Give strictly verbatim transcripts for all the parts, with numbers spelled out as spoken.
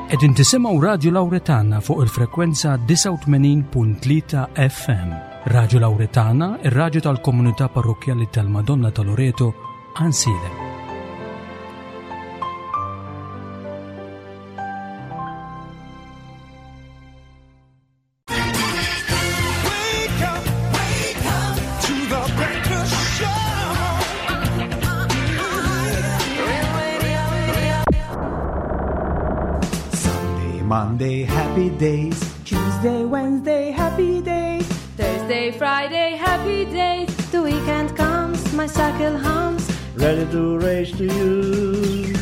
Qegħdin tisimgħu Radio Lauretana fuq il-frekwenza disgħa u tmenin punt tlieta F M. Radio Lauretana, ir-radju tal-komunità parrokkjali tal-Madonna ta' Loreto, Għajnsielem. Monday, happy days. Tuesday, Wednesday, happy days. Thursday, Friday, happy days. The weekend comes, my cycle hums. Ready to race to you.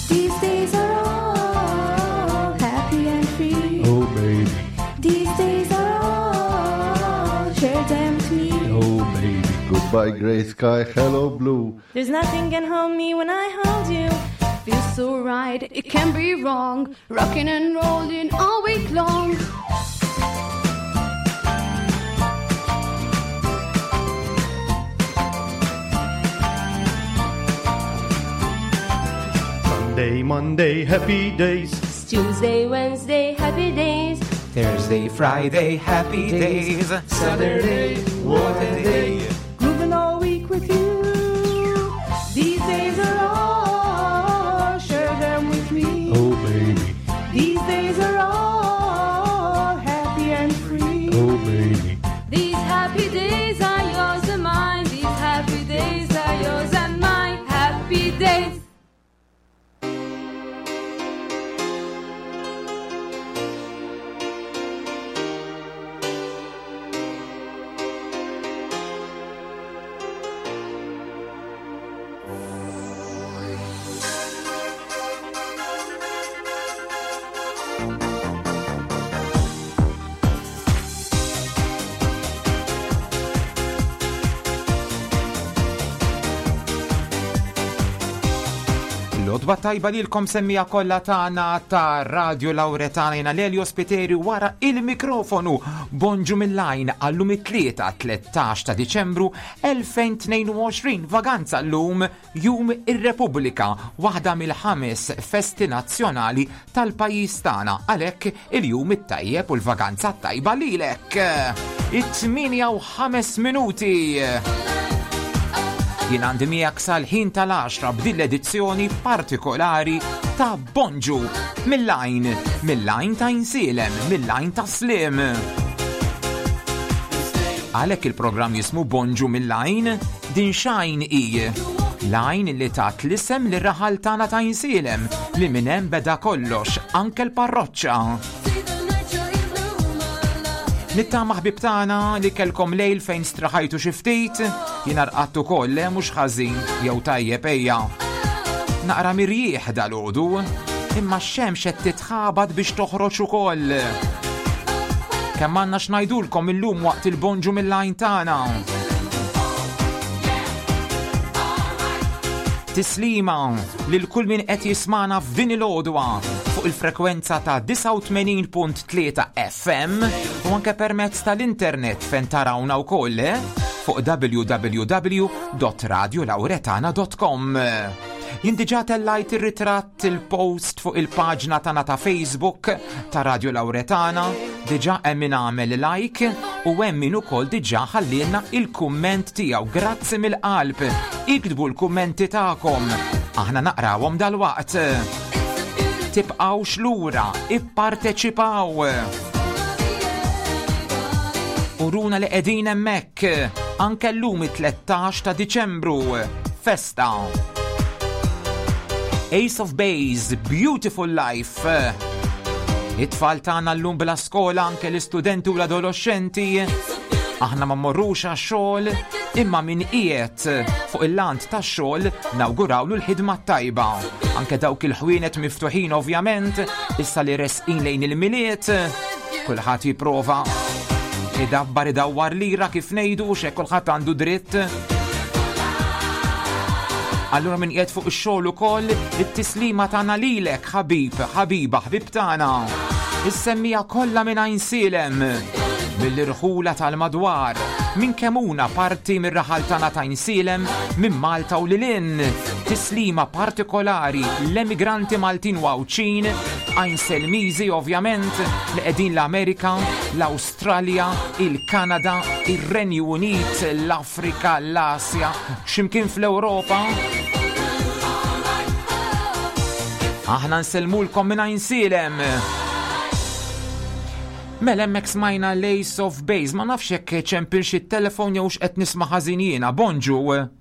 These days are all happy and free. Oh, baby. These days are all, share them with me. Oh, baby. Goodbye, grey sky, hello, blue. There's nothing can hold me when I hold you. Feels so right, it can't be wrong. Rocking and rolling all week long. Sunday, Monday, happy days. Tuesday, Wednesday, happy days. Thursday, Friday, happy days. Saturday, what a day. Grooving all week with you. These days are all, share them with me. Oh, baby. These days are all happy and free. Oh, baby. These happy days are yours and mine. These happy days are yours and mine. Happy days. Lodwa tajba lilkom semmija kollha tagħna ta' Radio Lauretana, jiena Lelio Spiteri wara il-mikrofonu. Bonġu mill-lajn għallum it-tlieta tlettax ta' Diċembru elfejn tnejn u għoxrin, vaganza llum Jum ir-Repubblika, waħda mill-ħames festi nazzjonali tal-pajjiż tagħna. Għalhekk il-jum it-tajjeb u l-vaganza tajba lilek. It-tmienja u ħames minuti. Jien għandi miegħek sal-ħin tal-għaxra b'din l-edizzjoni partikolari ta' Bonġu mill-lajn, mill-lajn ta' Għajnsielem, mill-lajn ta' Slim. Għalhekk il-programm jismu Bonġu mill-lajn, din xajn i lajn li tat l-isem li raħal tagħna ta' Għajnsielem li minn hemm beda kollox, anke l-parroċċa. Nittama ħbib tagħna li kellkom lejl fejn straħajtu xi ftit, jiena rqadt ukoll, le mhux ħażin, jew tajjeb ejja. Naqra mirjieħ dalgħodu, imma x-xemx qed titħabat biex toħroġ ukoll. Kemm għandna x'ngħidulkom illum waqt il-bonġu mill-lajn tagħna. Tislima lil kull min qed jismana f'din il-għodwa fuq il-frekwenza ta' disgħa u tmenin punt tlieta F M u anke permezz tal-internet fejn tarawna wkoll, eh? Fuq w w w dot radio lauretana dot com. Jien diġà tellajt ir-ritratt, il-post fuq il-paġna tagħna ta' Facebook ta' Radio Lauretana, diġà hemm min għamel like u hemm min ukoll diġà ħallielna il-kumment tiegħu. Grazzi mill-qalb. Iktbu l-kummenti tagħkom. Aħna naqrawhom dalwaqt. Tibqgħux lura, ipparteċipaw. Uruna li qegħdin hemmhekk anke llum it-tlettax ta' Diċembru. Festa. Ace of Base, Beautiful Life. It-tfal tagħna llum bla skola, anke l-istudenti u l-adolescenti. Aħna ma mmorrux għax-xogħol, imma min qiegħed fuq il-lant tax-xogħol nawgurawlu l-ħidma tajba. Anke dawk il-ħwienet miftuħin ovvjament, issa li resqin lejn il-Milied, kulħadd jipprova idabbar idawwar lira kif ngħidu, x'hekk kulħadd għandu dritt. Allura min qiegħed fuq ix-xogħol ukoll, it-tislima tagħna lilek, ħabib, ħabiba, ħbib tagħna. Is-semmija kollha minn Għajnsielem, mill-irħula tal-madwar, minn Kemuna parti mir-raħal tagħna ta' Għajnsielem, minn Malta u lil hinn. Tislima partikolari l-emigranti Maltin u Għawdxin, Għajnselmiżi ovvjament li qegħdin l-Amerika, l-Awstralja, il-Kanada, ir-Renju Unit, l-Afrika, l-Asja, x'imkien fl-Ewropa. Aħna nsellmulkom minn Għajnsielem. Mela hemmhekk smajna l-Ace of Base, ma nafx jekk ċempil xi telefon jew x'qed nisma' ħażin jiena. Bonġu.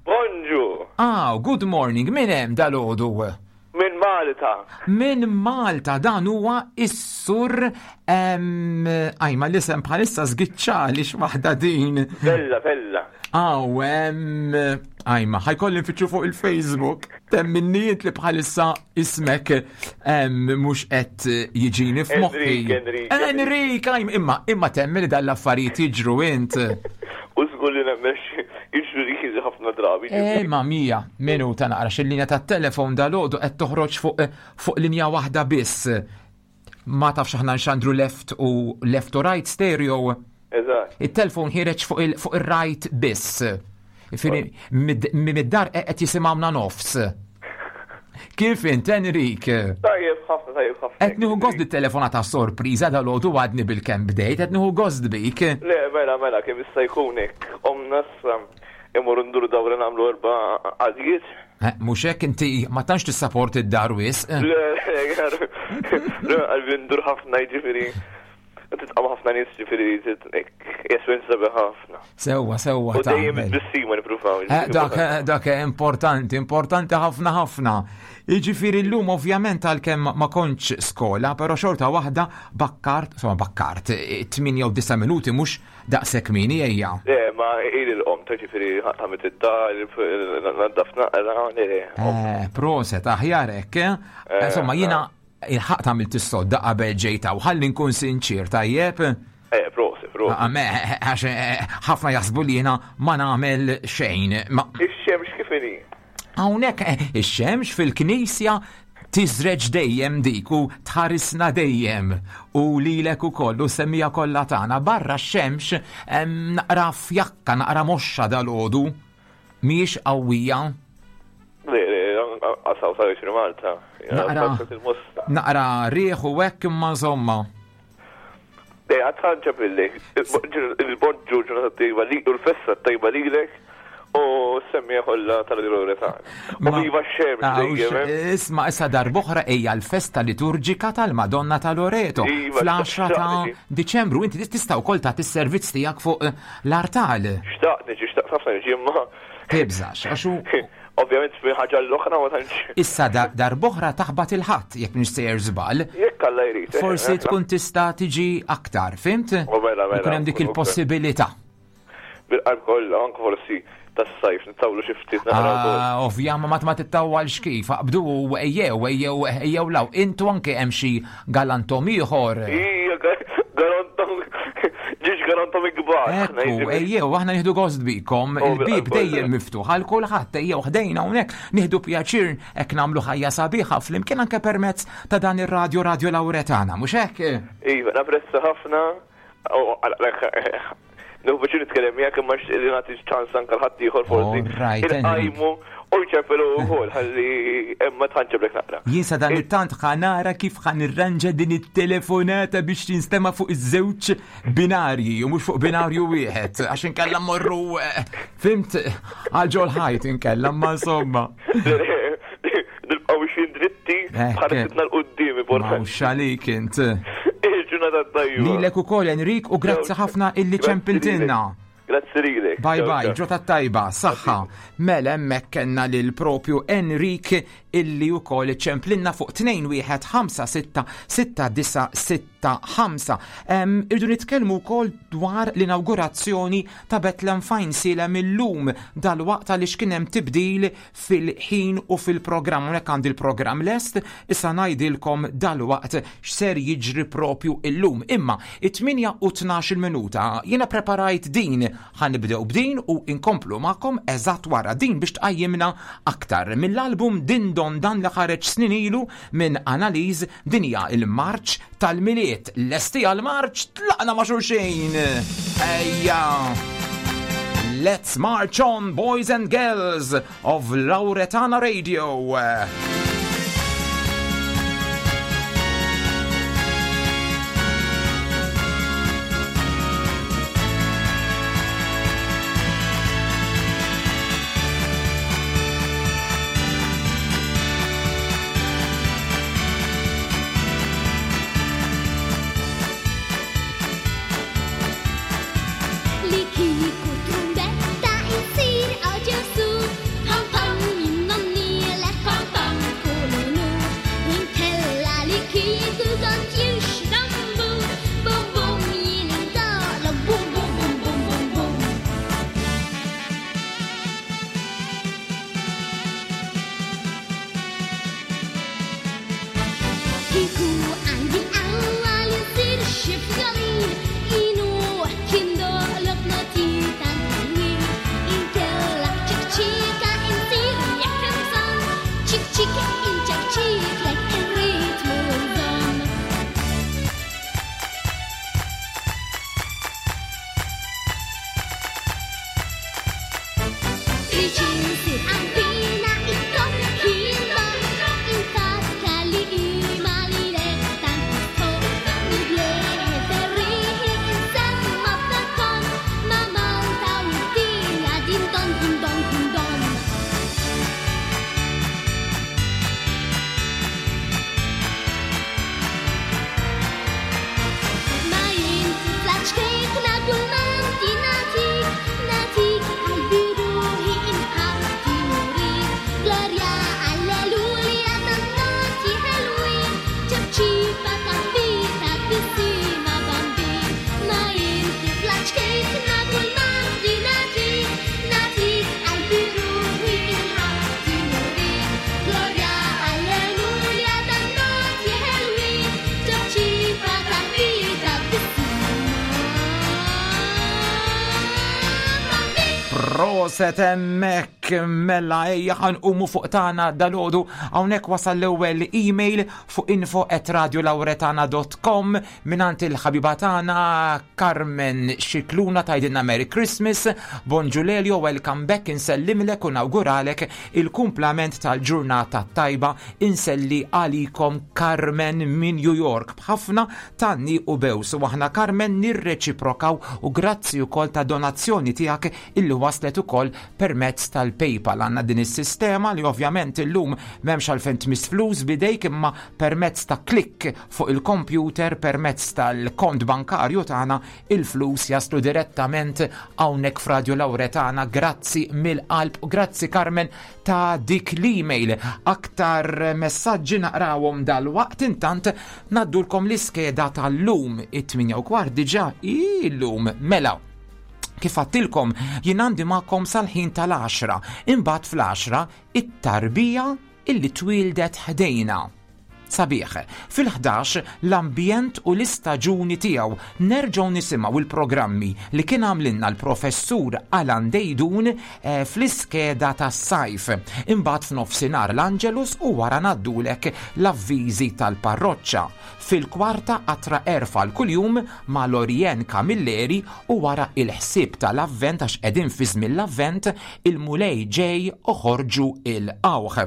Bonġu. Ah, good morning, min hemm dalgħodu? Min Malta. Min Malta, dan huwa is-sur ajma l-isem bħalissa żgiċċali x'waħda din. Bella, bella. Aw, ajma, ħajkolli nfittxu fuq il-Facebook. Temminnijiet li bħalissa ismek mhux qed jiġini f'moħħi. Enrik, Enrik. Enrik, ajma, imma imma temmi li dal-affarijiet jiġru int. U żgur li nemmex jiġru li ħafna drabi. Eh, ma mija, minuta naqra xil-linja tat-telefon dal-għodu qed toħroġ fuq fuq linja waħda biss. Ma tafx aħna nxandru left u left u right stereo. Eżatt. Il-telefon ħireġ fuq il- fuq ir-right biss. Ifiri, mid-dar qed jisimgħuna nofs. Kif int, Enrik? Tajjeb ħafna, tajjeb ħafna. Qed nieħu gost dit-telefonata sorpriża dal-għodu għadni bil-kemm bdejt, qed nieħu gost bik. Le, mela, mela, kemm jista' jkun hekk. Omna issa imur ndur dawra nagħmlu erba' għadijiet. Eh, mhux hekk inti ma tantx tissaporti d-dar wisq. Le, le, qalbi ndur ħafna jiġifieri. Titqam ħafna nies ġifieri jeswenza sabiħ ħafna. Sewwa, sewwa U dejjem tagħmel. it-tbissima nippruvaw. Eh, Dak, dak importanti, importanti ħafna ħafna. Jiġifieri llum ovvjament għalkemm ma kontx skola, però xorta waħda bakkart, insomma bakkart, tmienja u disa' minuti mhux daqshekk mini ejja. Le, ma ili l-qom, ta' ġifieri ħamet id-dar, naddaf naqra, le. Eh, proset, aħjar hekk, eh? Insomma, jiena il-ħaq tagħmel tis-sodda qabel ġejta u ħalli nkun sinċir, tajjeb? Eh, proset, proset. Ah, me, għax eh, ħafna jaħsbu li jiena ma nagħmel xejn. Ma Ix-xemx kif inhi? hawnhekk eh, ix-xemx fil-knisja tiżreġ dejjem dik u tħarisna dejjem u lilek ukoll u semmija kollha tagħna barra x-xemx em, naqra fjakka, naqra moxxa dal-għodu mhijiex qawwija. Le, le, għasaw sa' jisri Malta. Naqra. Il-mosta. Naqra riħ u hekk imma insomma. Le, għadħanġa billi. Il-bonġu ġurnata tajba li, u l-festa tajba lilek u semmija kollha tal-glorja tagħna. U Ma- viva x-xemx Ah, u dejjem, eh? Isma, issa darb'oħra hija l-festa liturġika tal-Madonna ta' Loreto Iva, fl-għaxra ta' xtaqt Diċembru. Inti tista' wkoll tagħti s-servizz tiegħek fuq eh, l-artal. Xtaqt niġi, xtaqt ħafna niġi, imma. Tibżax, għax hu Ovvjament minn ħaġa l-oħra ma tantx. issa da- darb'oħra taħbat il-ħadd jekk mhux sejjer żball. Jekk Alla jrid. eh, Forsi eh, tkun tista' tiġi aktar, fimt? U mela, mela, Ikun hemm dik nkun il-possibilità. Bil-qalb kollha, anke forsi tas-sajf nittawlu xi ftit naqra wkoll. Ah, Ovvja, ma ma tittawwalx kif, aqbdu ejjew, ejjew, ejjew law. Intu anke hemm xi galantom ieħor. Ija, garantom, ġiex garantom ikbar. Ekku, ejjew, aħna nieħdu gost bikom, Oh, il-bib bil-qalb dejjem kollha. miftuħ għal kulħadd, ejjew ħdejna hawnhekk nieħdu pjaċir hekk nagħmlu ħajja sabiħa flimkien anke permezz ta' dan ir-radju Radio Lauretana, mhux hekk? Iva, napprezza ħafna. Nieħu biex nitkellem miegħek imma li nagħti ċans anke l-ħadd ieħor forsi. All right, Henrik. Inqajmu u jċempelu wkoll ħalli imma tħanġeblek naqra. Jien sa dan it-tant ħanara kif ħanirranġa din it-telefonata biex tinstema' fuq iż-żewġ binarji u mhux fuq binarju wieħed għax inkella mmorru eh, fimt għal ġol ħajt inkella ma insomma. Nibqgħu biex dritti Eh, bħarsitna l-qudiem Ma importanti. hux għalik int. Il-ġurnata tajba. Lilek ukoll Enrik u grazzi ħafna illi ċempiltilna. Grazzi lilek. Bye Ciao, bye, ciao. ġota tajba, saħħa. Mela hemmhekk kellna lil propju Enrik illi wkoll ċemplinna fuq tnejn wieħed ħamsa sitta sitta disa sitta ħamsa. Em, Irdu nitkellmu wkoll dwar l-inaugurazzjoni ta' Bethlehem Fajnsielem illum dal-waqt għaliex kien hemm tibdil fil-ħin u fil-programm. Hawnhekk għandi l-programm lest, issa ngħidilkom dal-waqt x'ser jiġri propju illum. Imma it-tmienja u tnax-il minuta jiena preparajt din, ħanibdew b'din u inkomplu magħkom eżatt wara din biex tqajjimna aktar mill-album Din Don Dan li ħareġ snin ilu minn Analiż. Din hija il-marċ tal-Milied. Lesti għal-marċ, tlaqna ma' xulxin. Ejja! Let's march on, boys and girls of Lauretana Radio. Proset hemmhekk, mela ejja ħa nqumu fuq tagħna dalgħodu. Hawnhekk wasal l-ewwel email fuq info at radiolauretana dot com mingħand il-ħabiba tagħna Carmen Xikluna. Tgħidilna: "Merry Christmas, bonġu Lelio, welcome back, insellimlek u nawguralek il-kumplament tal-ġurnata tajba, inselli għalikom Carmen minn New York b'ħafna tgħanniq u bews." U aħna, Carmen, nirreċiprokaw u grazzi wkoll ta' donazzjoni tiegħek illi waslet ukoll permezz tal-PayPal. Għandna din is-sistema li ovvjament illum m'hemmx għalfejn tmiss flus bidejk, imma permezz ta' klik fuq il-computer, permezz tal-kont bankarju tagħna, il-flus jaslu direttament hawnhekk f'Radio Lauretana. Grazzi mill-qalb u grazzi, Carmen, ta' dik l-email. Aktar messaġġi naqrawhom dal-waqt, intant ngħaddulkom l-iskeda tal-lum, it-tmienja u kwart diġà illum. Mela, kif għedtilkom, jien għandi magħkom sal-ħin tal-għaxra, imbagħad fl-għaxra it-tarbija illi twildet ħdejna. Sabiħ, fil-ħdax l-ambjent u l-istaġuni tiegħu, nerġgħu nisimgħu il-programmi li kien għamlinna l-professur Alan Dejdun eh, fl-iskeda tas-sajf. Imbagħad f'nofsinhar l-Angelus u wara ngħaddulek l-avviżi tal-parroċċa. Fil-kwarta qatra erfa l-kuljum ma' Lorien Camilleri u wara il-ħsieb tal-Avvent, għax qegħdin fi żmien l-Avvent, il-Mulej ġej, oħorġu il-qawħ.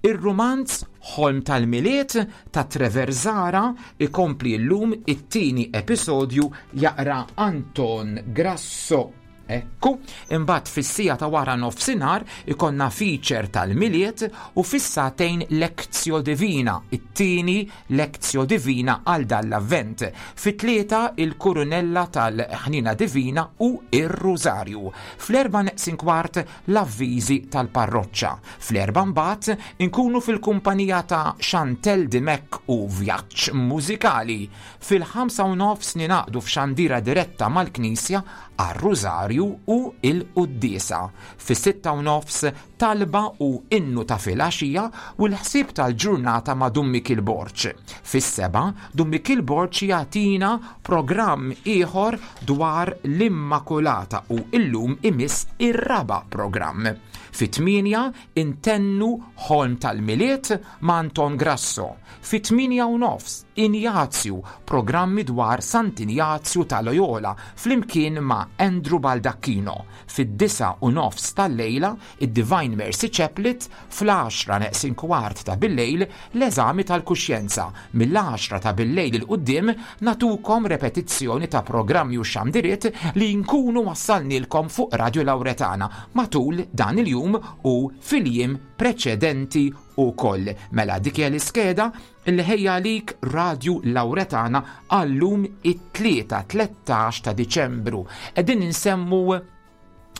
Ir-rumanz Ħolm tal-Milied ta' Trevor Zara ikompli llum, it-tieni episodju jaqra Anton Grasso. Ekku, imbagħad fis-siegħa ta' wara nofsinhar ikollna feature tal-Milied u fis-sagħtejn Lectio Divina, it-tieni Lectio Divina għal dal-Avvent. Fit-tlieta il-Kurunella tal-Ħnina Divina u ir-Rużarju. Fl-erba' neqsin kwart l-avviżi tal-parroċċa. Fl-erba' mbagħad inkunu fil-kumpanija ta' Chantel Dimek u vjaġġ mużikali. Fil-ħamsa u nofs ninaqdu f'xandira diretta mal-Knisja għar-Rużarju u il-Quddiesa. Fis-sitta u nofs talba u innu ta' filgħaxija u l-ħsieb tal-ġurnata ma' Dun Mikil Borg. Fis-sebgħa Dun Mikil Borg jagħtina programm ieħor dwar l-Immakulata u illum imiss ir-raba' programm. Fit-tmienja intennu Ħolm tal-Milied ma' Anton Grasso. Fit-tmienja u nofs Injazju, programmi dwar Sant'Injazju ta' Loyola flimkien ma' Andrew Baldacchino. Fid-disgħa u nofs tal-lejla id-Divine Mercy Chaplet, fl-għaxra neqsin kwart ta' billejl l-eżami tal-kuxjenza. Mill-għaxra ta' billejl 'il quddiem nagħtukom repetizzjoni ta' programmi u xandiriet li nkunu wassalnilkom fuq Radio Lauretana matul dan il-jum u fil-jiem preċedenti ukoll. Mela dik hija l-iskeda li ħejja għalik Radio Lauretana għallum, it-tlieta tlettax ta' Diċembru. Qegħdin insemmu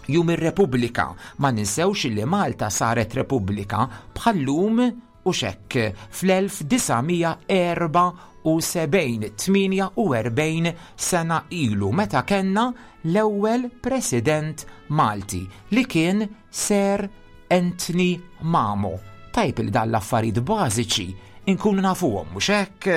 Jum ir-Repubblika. Ma ninsewx li Malta saret Repubblika bħallum u xekk fl-elf disa' mija erbgħa u sebgħin, tmienja u erbgħin sena ilu, meta kellna l-ewwel President Malti li kien Sir Anthony Mamo. Tajb li dan l-affarijiet bażiċi inkunu nafuhom, mhux hekk?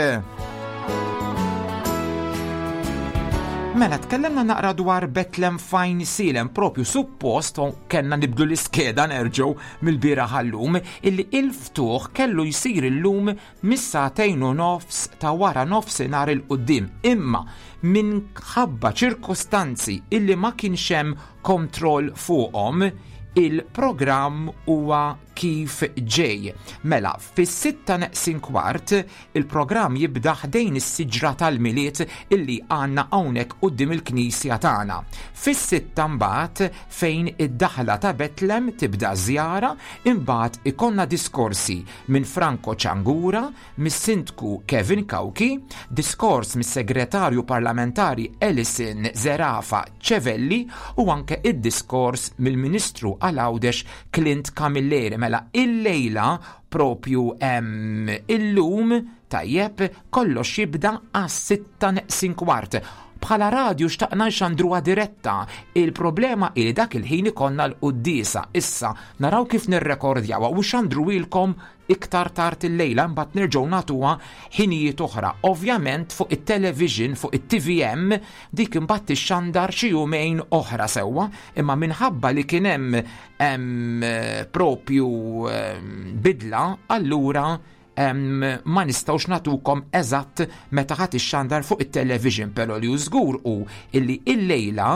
Mela, tkellimna naqra dwar Betlem f'Għajnsielem, propju suppost kellna nibdu l-iskeda nerġgħu mill-bieraħ għallum, illi il-ftuħ kellu jsir illum mis-sagħtejn u nofs ta' wara nofsinhar 'il quddiem. Imma minħabba ċirkostanzi illi ma kienx hemm kontroll fuqhom, il-programm huwa kif ġej. Mela, fis-sitta neqsin kwart il-programm jibda ħdejn is-siġra tal-Milied illi għandna hawnhekk quddiem il-knisja tagħna. Fis-sitta mbagħad fejn id-daħla ta' Betlem tibda żjara, imbagħad ikollna diskorsi minn Franco Ċangura, mis-Sindku Kevin Cauchi, diskors mis-Segretarju Parlamentari Alison Zerafa Civelli u anke id-diskors mill-Ministru għal Għawdex Clint Camilleri. Mela il-lejla propju em, illum, tajjeb, kollox jibda għas-sitta neqsin kwart. Bħala radju xtaqna nxandruha diretta. Il-problema ili dak il-ħin ikollna l-quddiesa. Issa naraw kif nirrekordjawa u xandruilkom iktar tard il-lejla, mbagħad nerġgħu nagħtuha ħinijiet oħra. Ovvjament fuq it-television, fuq it-T V M, dik imbagħad tixxandar xi jumejn oħra sewwa, imma minħabba li kien hemm, em, propju, em, bidla, allura em, ma nistgħux nagħtukom eżatt meta ħadd ixxandar fuq it-television, però li hu żgur hu illi illejla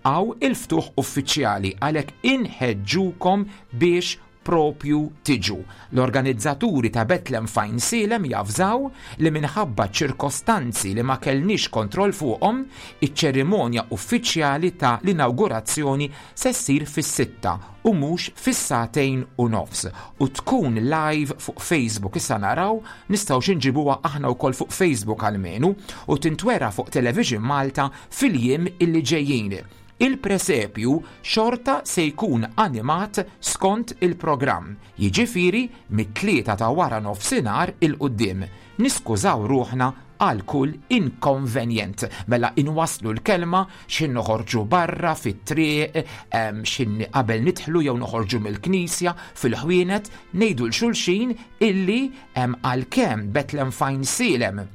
għaw il-ftuħ uffiċjali, għalhekk inħeġġukom biex propju tiġu. L-organizzaturi ta' Bethlehem f'Għajnsielem javżaw li minħabba ċirkostanzi li ma kellniex kontroll fuqhom, iċ-ċerimonja uffiċjali ta' l-inaugurazzjoni se ssir fis-sitta u mhux fis-sagħtejn u nofs u tkun live fuq Facebook. Issa naraw nistgħu xi nġibuha aħna wkoll fuq Facebook almenu u tintwera fuq Television Malta fil-jiem illi ġejjin. Il-presepju xorta se jkun animat skont il-programm, jiġifieri mit-tlieta ta' wara nofsinhar il-quddiem. Niskużaw ruħna għal kull inkonvenjent. Mela inwaslu l-kelma x'in noħorġu barra fit-triq, em, x'in qabel nidħlu jew noħorġu mill-knisja fil-ħwienet, ngħidu l xulxin illi, em, għalkemm Bethlehem f'Għajnsielem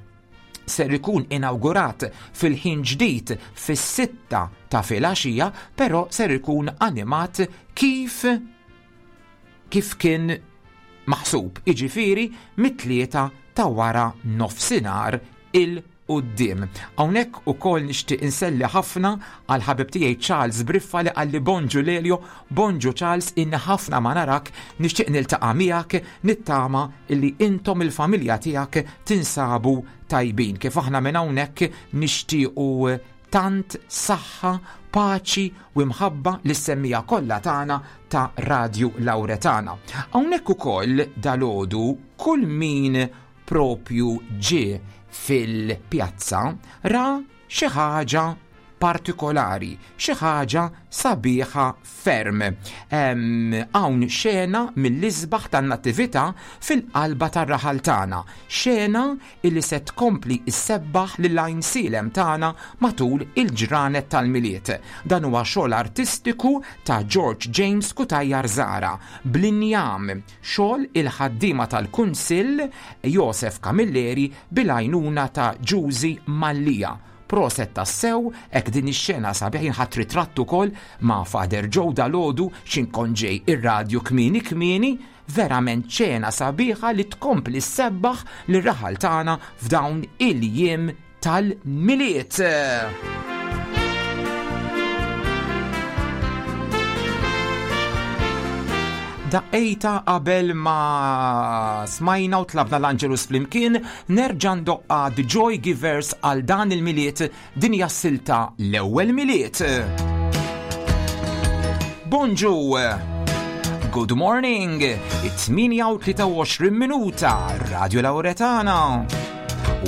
ser ikun inawgurat fil-ħin ġdid fis-sitta ta' filgħaxija, però ser ikun animat kif, kif kien maħsub, jiġifieri mit-tlieta ta' wara nofsinhar il-quddiem. Hawnhekk ukoll nixtieq inselli ħafna għal ħabib tiegħi Charles Briffa li qalli bonġu Lelio, bonġu Charles, inni ħafna ma narak, nixtieq niltaqa' miegħek, nittama illi intom il-familja tiegħek tinsabu tajbin. Kif aħna minn hawnhekk nixtiequ tant saħħa, paċi u mħabba lis-semmija kollha tagħna ta' Radio Lauretana. Hawnhekk ukoll dalgħodu kull min propju ġie fil-pjazza ra xi ħaġa partikolari, xi ħaġa sabiħa ferm. Em, hawn xena mill-isbaħ tan-nattività fil-qalba tar-raħal tagħna, xena illi se tkompli issebbaħ lil Għajnsielem tagħna matul il-ġranet tal-Milied. Dan huwa xogħol artistiku ta' George James Cutajar Zahra, bl-injam, xogħol il-ħaddiema tal-Kunsill Josef Camilleri bil-għajnuna ta' Ġużi Mallia. Proset tassew, ek din ix-xena sabiħ jinħatt ritratt ukoll ma' Father Joe dalgħodu x'inkun ġej ir-radju kmieni kmieni, verament xena sabiħa li tkompli ssebbaħ lir-raħal tagħna f'dawn il-jiem tal-Milied. Daqqejta qabel ma smajna u tlabna l-Angelus flimkien, nerġa' ndoqqa The Joy Givers għal dan il-Milied, din hija s-silta l-ewwel Milied. Bonġu, good morning, it-tmienja u tlieta u għoxrin minuta, Radio Lauretana.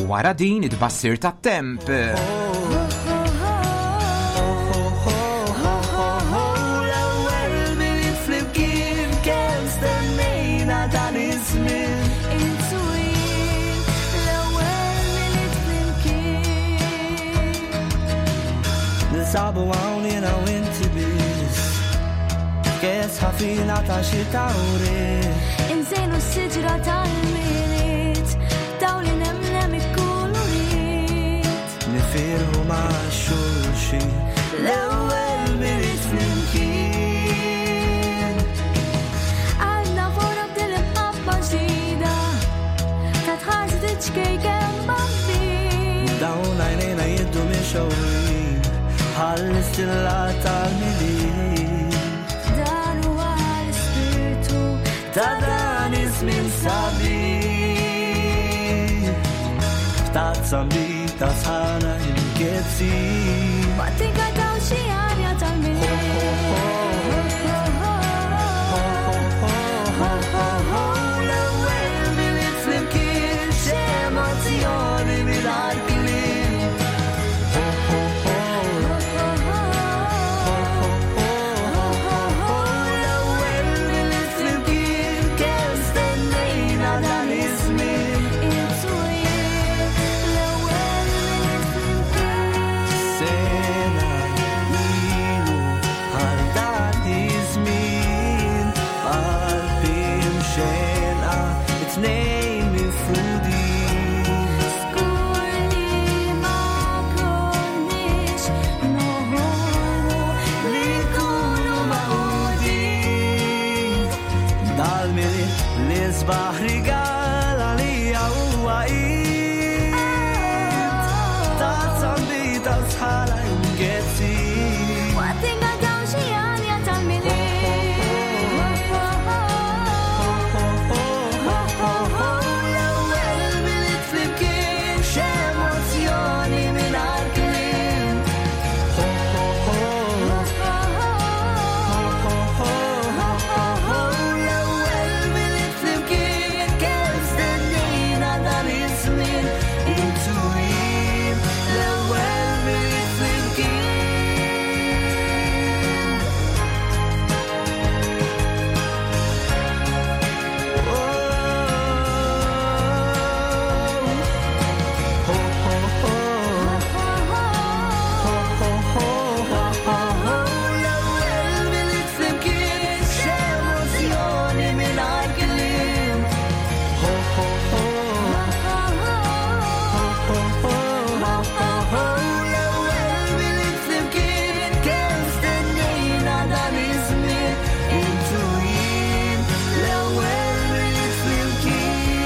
U wara din it-tbassir tat-temp. Sabu hawn jiena u inti biss, kes ħafina ta' xi tawri. Inżejnu s-siġra tal-Milied, dawl nemlem ikkulurit. Nifirħu ma' xulxin, l-ewwel Milied flimkien. Għandna fora b'din il-qaffa ġdida, ta' tħarsi tiċkejken bambin. Dawn għajnejna jiddu minn xewrin, bħall-istilla tal-Milied. Dan huwa l-ispirtu ta' dan iż-żmien sabiħ. F'tazza mbita sħana imkezzin. Waqt inkataw xi arja tal-Milied. L-ewwel Milied flimkien, x'emozzjoni mingħajr kliem. L-ewwel Milied flimkien, kemm stennejna dan iż-żmien. Intu jien, l-ewwel Milied flimkien. Sena L-isbaħ rigal għalija huwa id Tazza nbita u sħala ingezzi. Waqt inkantaw xi għanja tal-Milied. L-ewwel Milied flimkien, x'emozzjoni mingħajr kliem. Ho ho ho ho ho ho. L-ewwel Milied flimkien, kemm stennejna dan iż-żmien. Intu jien, l-ewwel Milied flimkien. Ho ho ho ho ho ho ho. L-ewwel Milied flimkien, x'emozzjoni mingħajr kliem. Ho ho ho ho ho ho ho. L-ewwel Milied flimkien, kemm stennejna dan iż-żmien. Intu jien, l-ewwel Milied flimkien.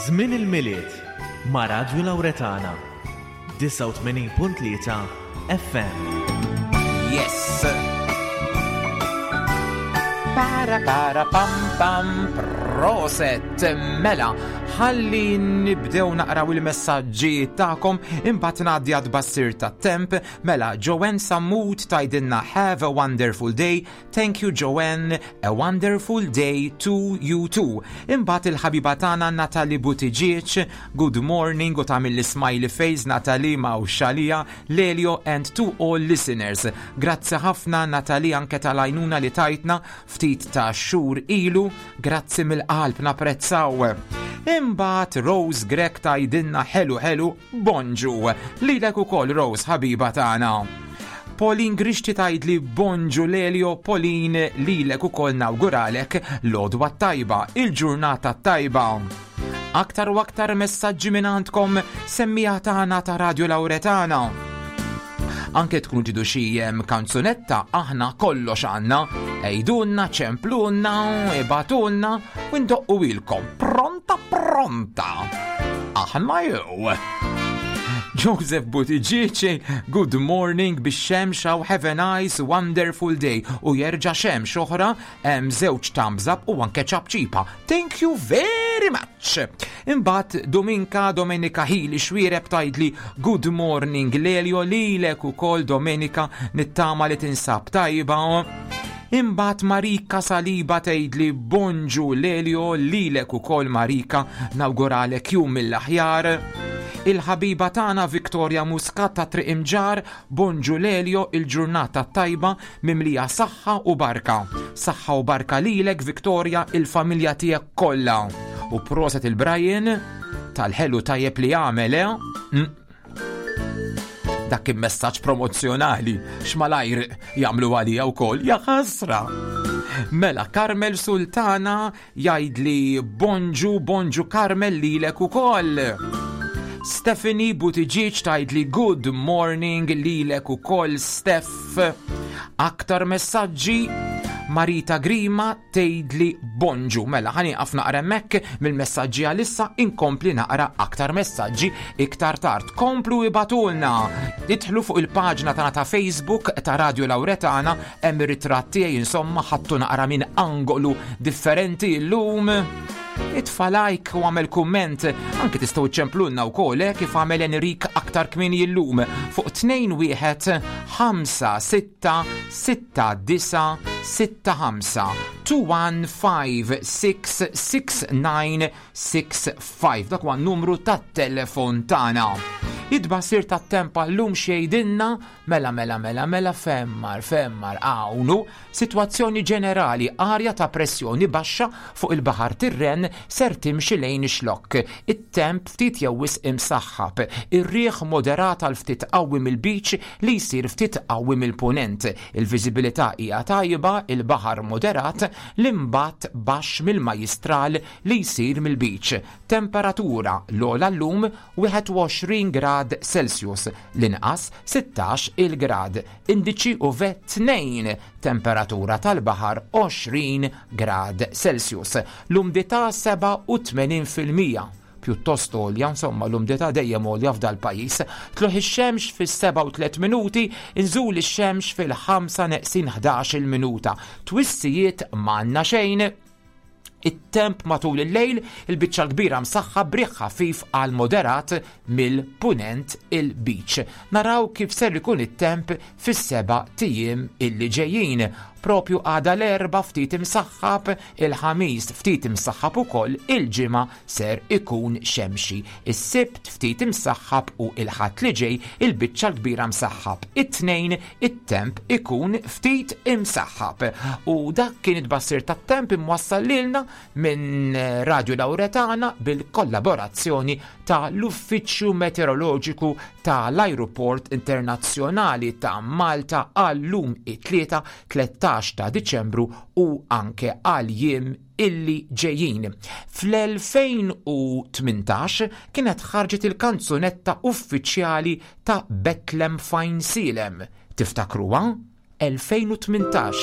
Żmien il-Milied ma' Radju Lawretana disgħa u tmenin punt tlieta F M. Yes! Para para pam pam, proset. Mela, ħalli nibdew naqraw il-messaġġi tagħkom, imbagħad ngħaddi għat-tbassir tat-temp. Mela, Joanne Sammut tgħidilna "Have a wonderful day." Thank you, Joanne, a wonderful day to you too. Imbagħad il-ħabiba tagħna Natalie Buttigieg, "Good morning" u tagħmel smiley face. Natalie ma' xalija Lelio and to all listeners. Grazzi ħafna, Natalie, anke tal-għajnuna li tajtna ftit ta' xhur ilu, grazzi mill-qalb, napprezzaw. Imbagħad Rose Grek tgħidilna "Ħelu ħelu, bonġu." Lilek ukoll, Rose, ħabiba tagħna. Pauline Grixti tgħidli "Bonġu Lelio." Pauline, lilek ukoll nawguralek l-għodwa tajba, il-ġurnata tajba. Aktar u aktar messaġġi minn għandkom, semmiegħa tagħna ta' Radio Lauretana. Anke tkunu tridu xi em, kanzunetta, aħna kollox għandna. Għidulna, ċemplulna, ibagħtulna u ndoqquhielkom. Pronta pronta. Aħna jew. Joseph Buttigieg, "Good morning bix-xemx, have a nice, wonderful day." U jerġa' xemx oħra, hemm żewġ thumbs up u anke ċapċipa. Thank you very much. Imbagħad Dominka Domenika Hili Xwireb tgħidli "Good morning Lelio." Lilek ukoll, Domenika, nittama li tinsab tajba. Imbagħad Marika Saliba tgħidli "Bonġu Lelio." Lilek ukoll, Marika, nawguralek jum mill-aħjar. Il-ħabiba tagħna Victoria Muscat ta' Triq Imġar, "Bonġu Lelio, il-ġurnata tajba mimlija saħħa u barka." Saħħa u barka lilek, Victoria, il-familja tiegħek kollha. U proset il-Brian tal-ħelu tajjeb li għamel, eh? Mm. Dak kien messaġġ promozzjonali, x'malajr jagħmlu għalija wkoll, ja ħasra. Mela, Carmel Sultana jgħidli "Bonġu". Bonġu Carmel, lilek ukoll. Stephanie Buttigieg tgħidli "Good morning." Lilek ukoll, Steph. Aktar messaġġi, Marita Grima tgħidli "Bonġu". Mela, ħa nieqaf naqra hemmhekk mill-messaġġi għalissa, inkompli naqra aktar messaġġi iktar tard. Komplu ibagħtulna. Idħlu fuq il-paġna tagħna ta' Facebook ta' Radio Lauretana, hemm ir-ritratt tiegħi, insomma ħadtu naqra minn angolu differenti llum. Itfa' like u għamel kumment, anke tistgħu ċemplunna wkoll, eh, kif għamel Enrik aktar kmieni illum fuq tnejn wieħed ħamsa sitta sitta disa sitta ħamsa, two one five six six nine six five. Dak huwa n-numru tat-telefon tagħna. It-tbassir tat-temp għal-lum x'jgħidilna mela mela mela mela femmar femmar hawnhu sitwazzjoni ġenerali arja ta' pressjoni baxxa fuq il-Baħar Tirren ser timxi lejn ix-Xlokk. It-temp ftit jew wisq imsaħħab, ir-riħ moderat għal ftit qawwi mill-beach li jsir ftit qawwi mill-punent. Il-viżibilità hija tajba, il-baħar moderat, l-imbatt baxx mill-majjistral li jsir mill-beach. Temperatura l-ogħla llum wieħed u għoxrin grad Celsius, l-inqas sittax il-grad. Indiċi U V tnejn, temperatura tal-baħar għoxrin grad Celsius. L-umdità sebgħa u tmenin fil-mija, pjuttost għolja, insomma l-umdità dejjem għolja f'dal pajjiż. Tlugħ ix-xemx fis-sebgħa u tliet minuti, inżul ix-xemx fil-ħamsa neqsin ħdax il-minuta. Twissijiet m'għandna xejn. It-temp matul il-lejl il-biċċa l-kbira msaħħab b'riħ ħafif għal moderat mill-punent il-beach. Naraw kif ser ikun it-temp fis-sebat ijiem illi ġejjin. Propju għada l-Erbgħa ftit imsaħħab, il-Ħamis ftit imsaħħab ukoll, il-Ġimgħa ser ikun xemxi. Is-Sibt ftit imsaħħab u il-Ħadd li ġej il-biċċa l-kbira msaħħab. It-Tnejn it-temp ikun ftit imsaħħab. U dak kien it-tbassir tat-temp imwassal lilna minn Radio Lauretana bil-kollaborazzjoni ta' l-Uffiċċju Meteoroloġiku ta' l-Aeroport Internazzjonali ta' Malta għal-lum it-Tlieta tlettax ta' Diċembru u anke għal jiem illi ġejjin. Fl-elfejn u tmintax kienet ħarġet il-kanzunetta uffiċjali ta' Bethlehem F'Għajnsielem. Tiftakruha? elfejn u tmintax,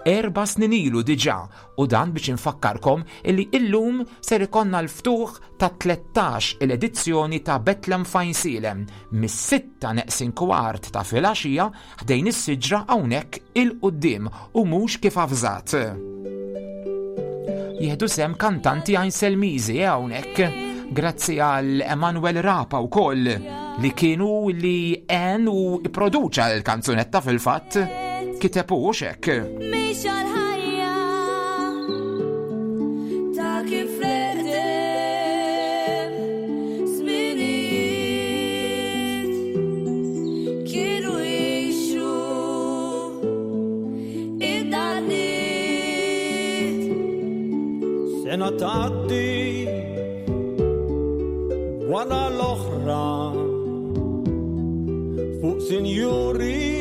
erba' snin ilu diġà, u dan biex infakkarkom illi illum ser ikonna l-ftuħ ta' tlettax il-edizzjoni ta' Bethlehem F'Għajnsielem mis-sitta neqsin kwart ta' filgħaxija ħdejn is-siġra hawnhekk il-quddiem u mhux kif avżat. Jieħdu sehem kantanti Għajnselmiżi hawnhekk, grazzi għal Emanuel Rapa u koll li kienu li en u produċa l-kanzunetta, fil-fatt kiteb u xek. Mhix għal-ħajja ta' kif l-eqdem żminijiet kienu jgħixu id-danniet. Sena tgħaddi wara l-oħra fuq sinjuri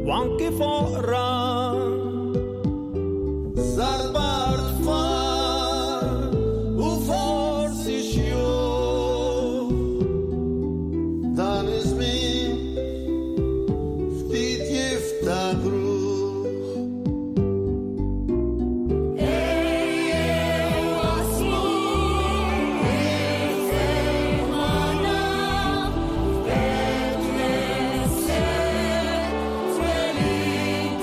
u anki foqra. Żarbar tfal u forsi xjuħ. Dan iż-żmien ftit jiftakru. Ejjew waslu magħna f'Betlehem twelid.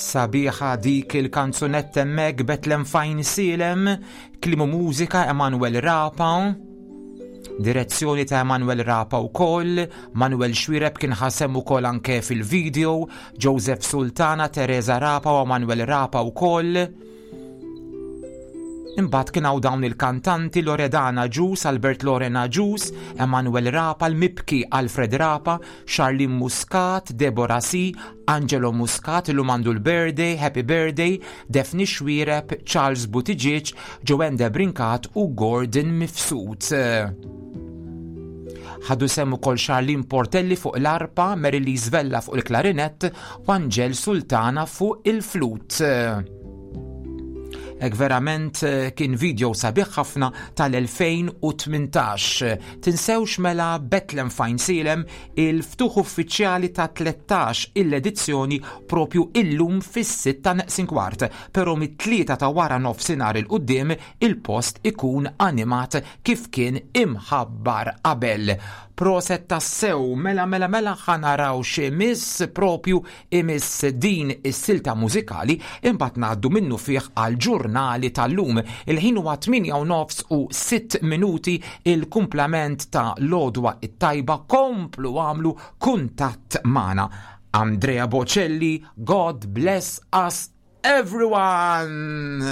Sabiħa dik il-kanzunetta hemmhekk Betlem f'Għajnsielem, kliem u mużika Emanuel Rapa, direzzjoni ta' Emanuel Rapa wkoll, Manuel Xuereb kien ħa sehem ukoll anke fil-video, Joseph Sultana, Teresa Rapa u Emanuel Rapa wkoll. Imbagħad kien hawn dawn il-kantanti Loredana Agius, Albert Lorena Agius, Emanuel Rapa, l-Mibki Alfred Rapa, Charlene Muscat, Deborah C, Angelo Muscat, illum għandu l-birthday, happy birthday, Daphne Xuereb, Charles Buttigieg, Joanne Debrincat u Gordon Mifsud. Ħadu sehem ukoll Charlene Portelli fuq l-arpa, Mary Lise Vella fuq il-klarinett u Angel Sultana fuq il-flut. Ek verament eh, kien video sabiħ ħafna tal-elfejn u tmintax. Tinsewx mela Betlem f'Għajnsielem il-ftuħ uffiċjali ta' tlettax il-edizzjoni propju illum fis-sitta neqsin kwart, però mit-tlieta ta' wara nofsinhar il-qudiem il-post ikun animat kif kien imħabbar qabel. Proset tassew, mela mela mela ħanaraw x'imiss propju imiss din is-silta mużikali, imbagħad ngħaddu minnu fih għal ġurnali tal-lum. Il-ħin huwa tmienja u nofs u sitt minuti, il-kumplament ta' l-għodwa it-tajba, komplu għamlu kuntatt magħna. Andrea Bocelli, God bless us everyone!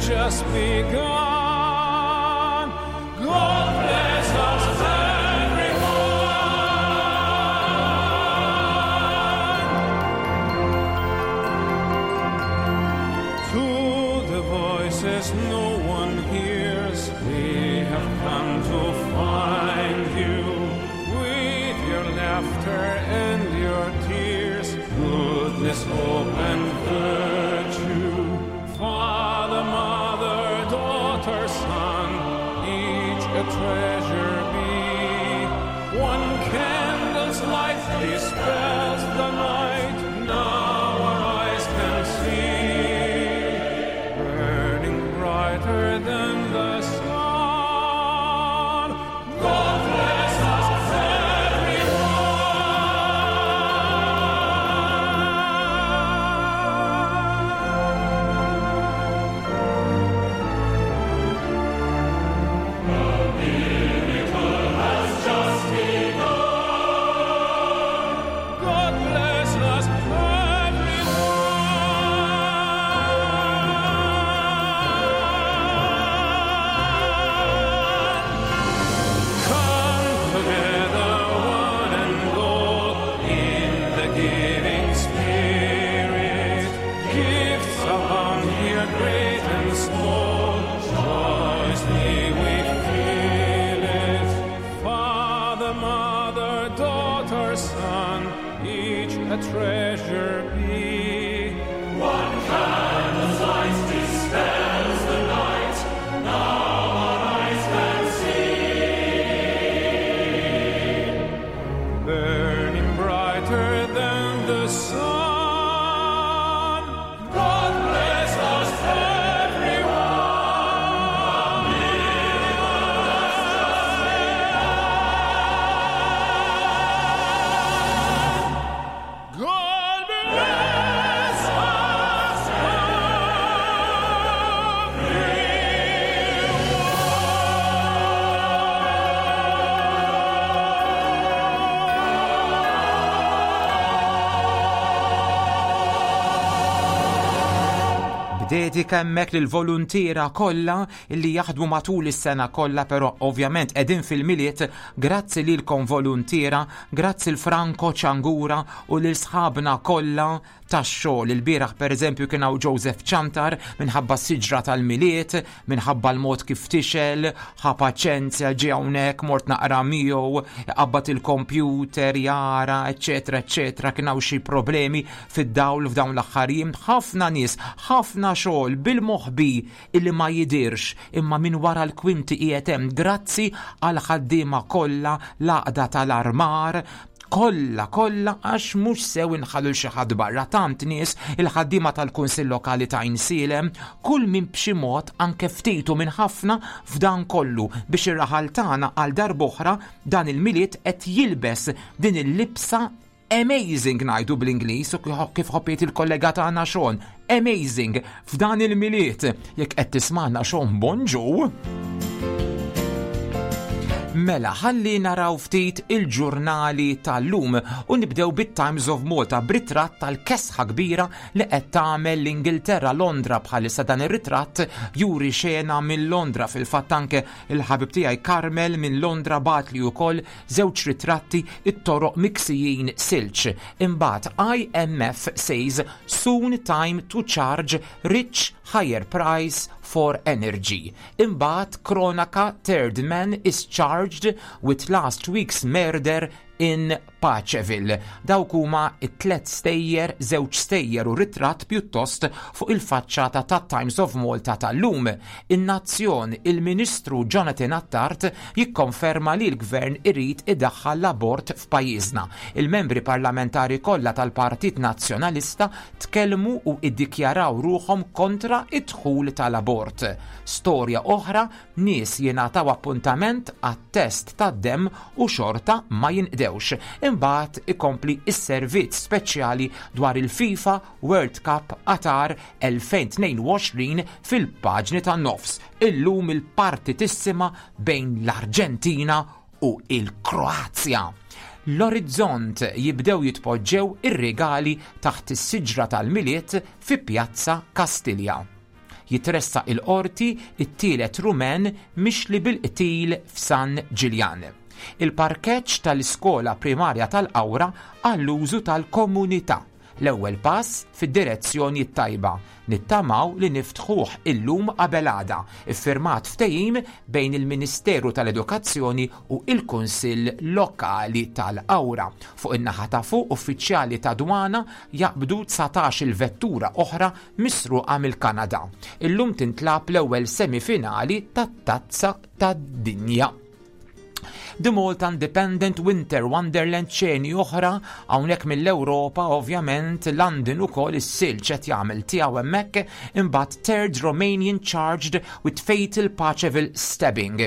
Just begun. God bless us everyone. To the voices no one hears, we have come to find you. With your laughter and your tears, goodness, hope and virtue. Father, mother, daughter, son, each a treasure be. One candle's light dispels the night, now our eyes can see, burning brighter than the sun. God bless us everyone. God bless us everyone. Come together, one and all, in the giving spirit. Gifts abound here, great and small. Joyously we feel it. Father, mother, daughter, son, each a treasure be. One candle's light dispels the night, now our eyes can see, burning brighter than the sun. God bless us everyone. God bless us B'dedika hemmhekk lill-voluntiera kollha illi jaħdmu matul is-sena kollha, però ovvjament qegħdin fil-Milied, grazzi lilkom voluntiera, grazzi l Franco Ċangura u lil sħabna kollha tax-xogħol. Il-bieraħ, pereżempju, kien hawn Joseph Ciantar minħabba s-siġra tal-Milied, minħabba l-mod kif tixgħel, ħa paċenzja, ġie hawnhekk, mort naqra miegħu, qabbad il-kompjuter, jara, eċetera, eċetera, kien hawn xi problemi fid-dawl f'dawn l-aħħar jiem. Ħafna nies, ħafna xogħol bil-moħbi illi ma jidirx, imma minn wara l-kwinti qiegħed hemm. Grazzi għal ħaddiema kollha, l-għaqda tal-armar, kollha kollha, għax mhux sew inħallu xi ħadd barra, tant nies, il-ħaddiema tal-Kunsill Lokali ta' Għajnsielem, kull min b'xi mod, anke ftitu minn ħafna f'dan kollu biex ir-raħal tagħna għal darb'oħra dan il-Milied qed jilbes din il-libsa amazing, ngħidu bl-Ingliż, u kif ħobbiet il-kollega tagħna Sean, amazing f'dan il-Milied. Jekk qed tismagħna, Sean, bonġu. Mela, ħalli naraw ftit il-ġurnali tal-lum u nibdew bit-Times of Malta b'ritratt tal-kesħa kbira li qed tagħmel l-Ingilterra, Londra bħalissa. Dan ir-ritratt juri xena minn Londra. Fil-fatt anke il-ħabib tiegħi Carmel minn Londra bagħatli wkoll żewġ ritratti, it-toroq miksijin silġ. Imbagħad I M F says soon time to charge rich higher price for energy. Imbagħad Kronaka: third man is charged with last week's murder in Paceville. Dawk huma it-tlet stejjer, żewġ stejjer u ritratt pjuttost fuq il-faċċata ta' Times of Malta tal-lum. In-Nazzjon: il-Ministru Jonathan Attard jikkonferma li l-Gvern irid idaħħal l-abort f'pajjiżna. Il-membri parlamentari kollha tal-Partit Nazzjonalista tkellmu u iddikjaraw ruħhom kontra id-dħul tal-abort. Storja oħra, nies jingħataw appuntament għat-test tad-dem u xorta ma jinqdewx. Imbagħad ikompli is-servizz speċjali dwar il-FIFA World Cup Qatar elfejn u tnejn u għoxrin fil-paġni tan-nofs. Illum il-partitissima bejn l-Arġentina u il-Kroazja. L-Orizzont: jibdew jitpoġġew ir-regali taħt is-siġra tal-Milied fi Pjazza Kastilja. Jitressaq il-qorti it-tielet Rumen mixli bil-qtil f'San Ġiljan. Il-parkeġġ tal-iskola primarja tal-Qawra għall-użu tal-komunità. L-ewwel pass fid-direzzjoni tajba. Nittamaw li niftħuh illum qabel għada. Iffirmat ftehim bejn il-Ministeru tal-Edukazzjoni u il-Kunsill Lokali tal-Qawra. Fuq in-naħa ta' fuq, uffiċjali ta' dwana jaqbdu dsatax il-vettura oħra misruqa mill-Kanada. Illum tintlagħab l-ewwel semifinali tat-Tazza tad-Dinja. The Malta Independent: Winter Wonderland, ċeni oħra hawnhekk mill-Ewropa, ovvjament London ukoll is-silġ qed jagħmel tiegħu hemmhekk. Imbagħad third Romanian charged with fatal Paceville stabbing.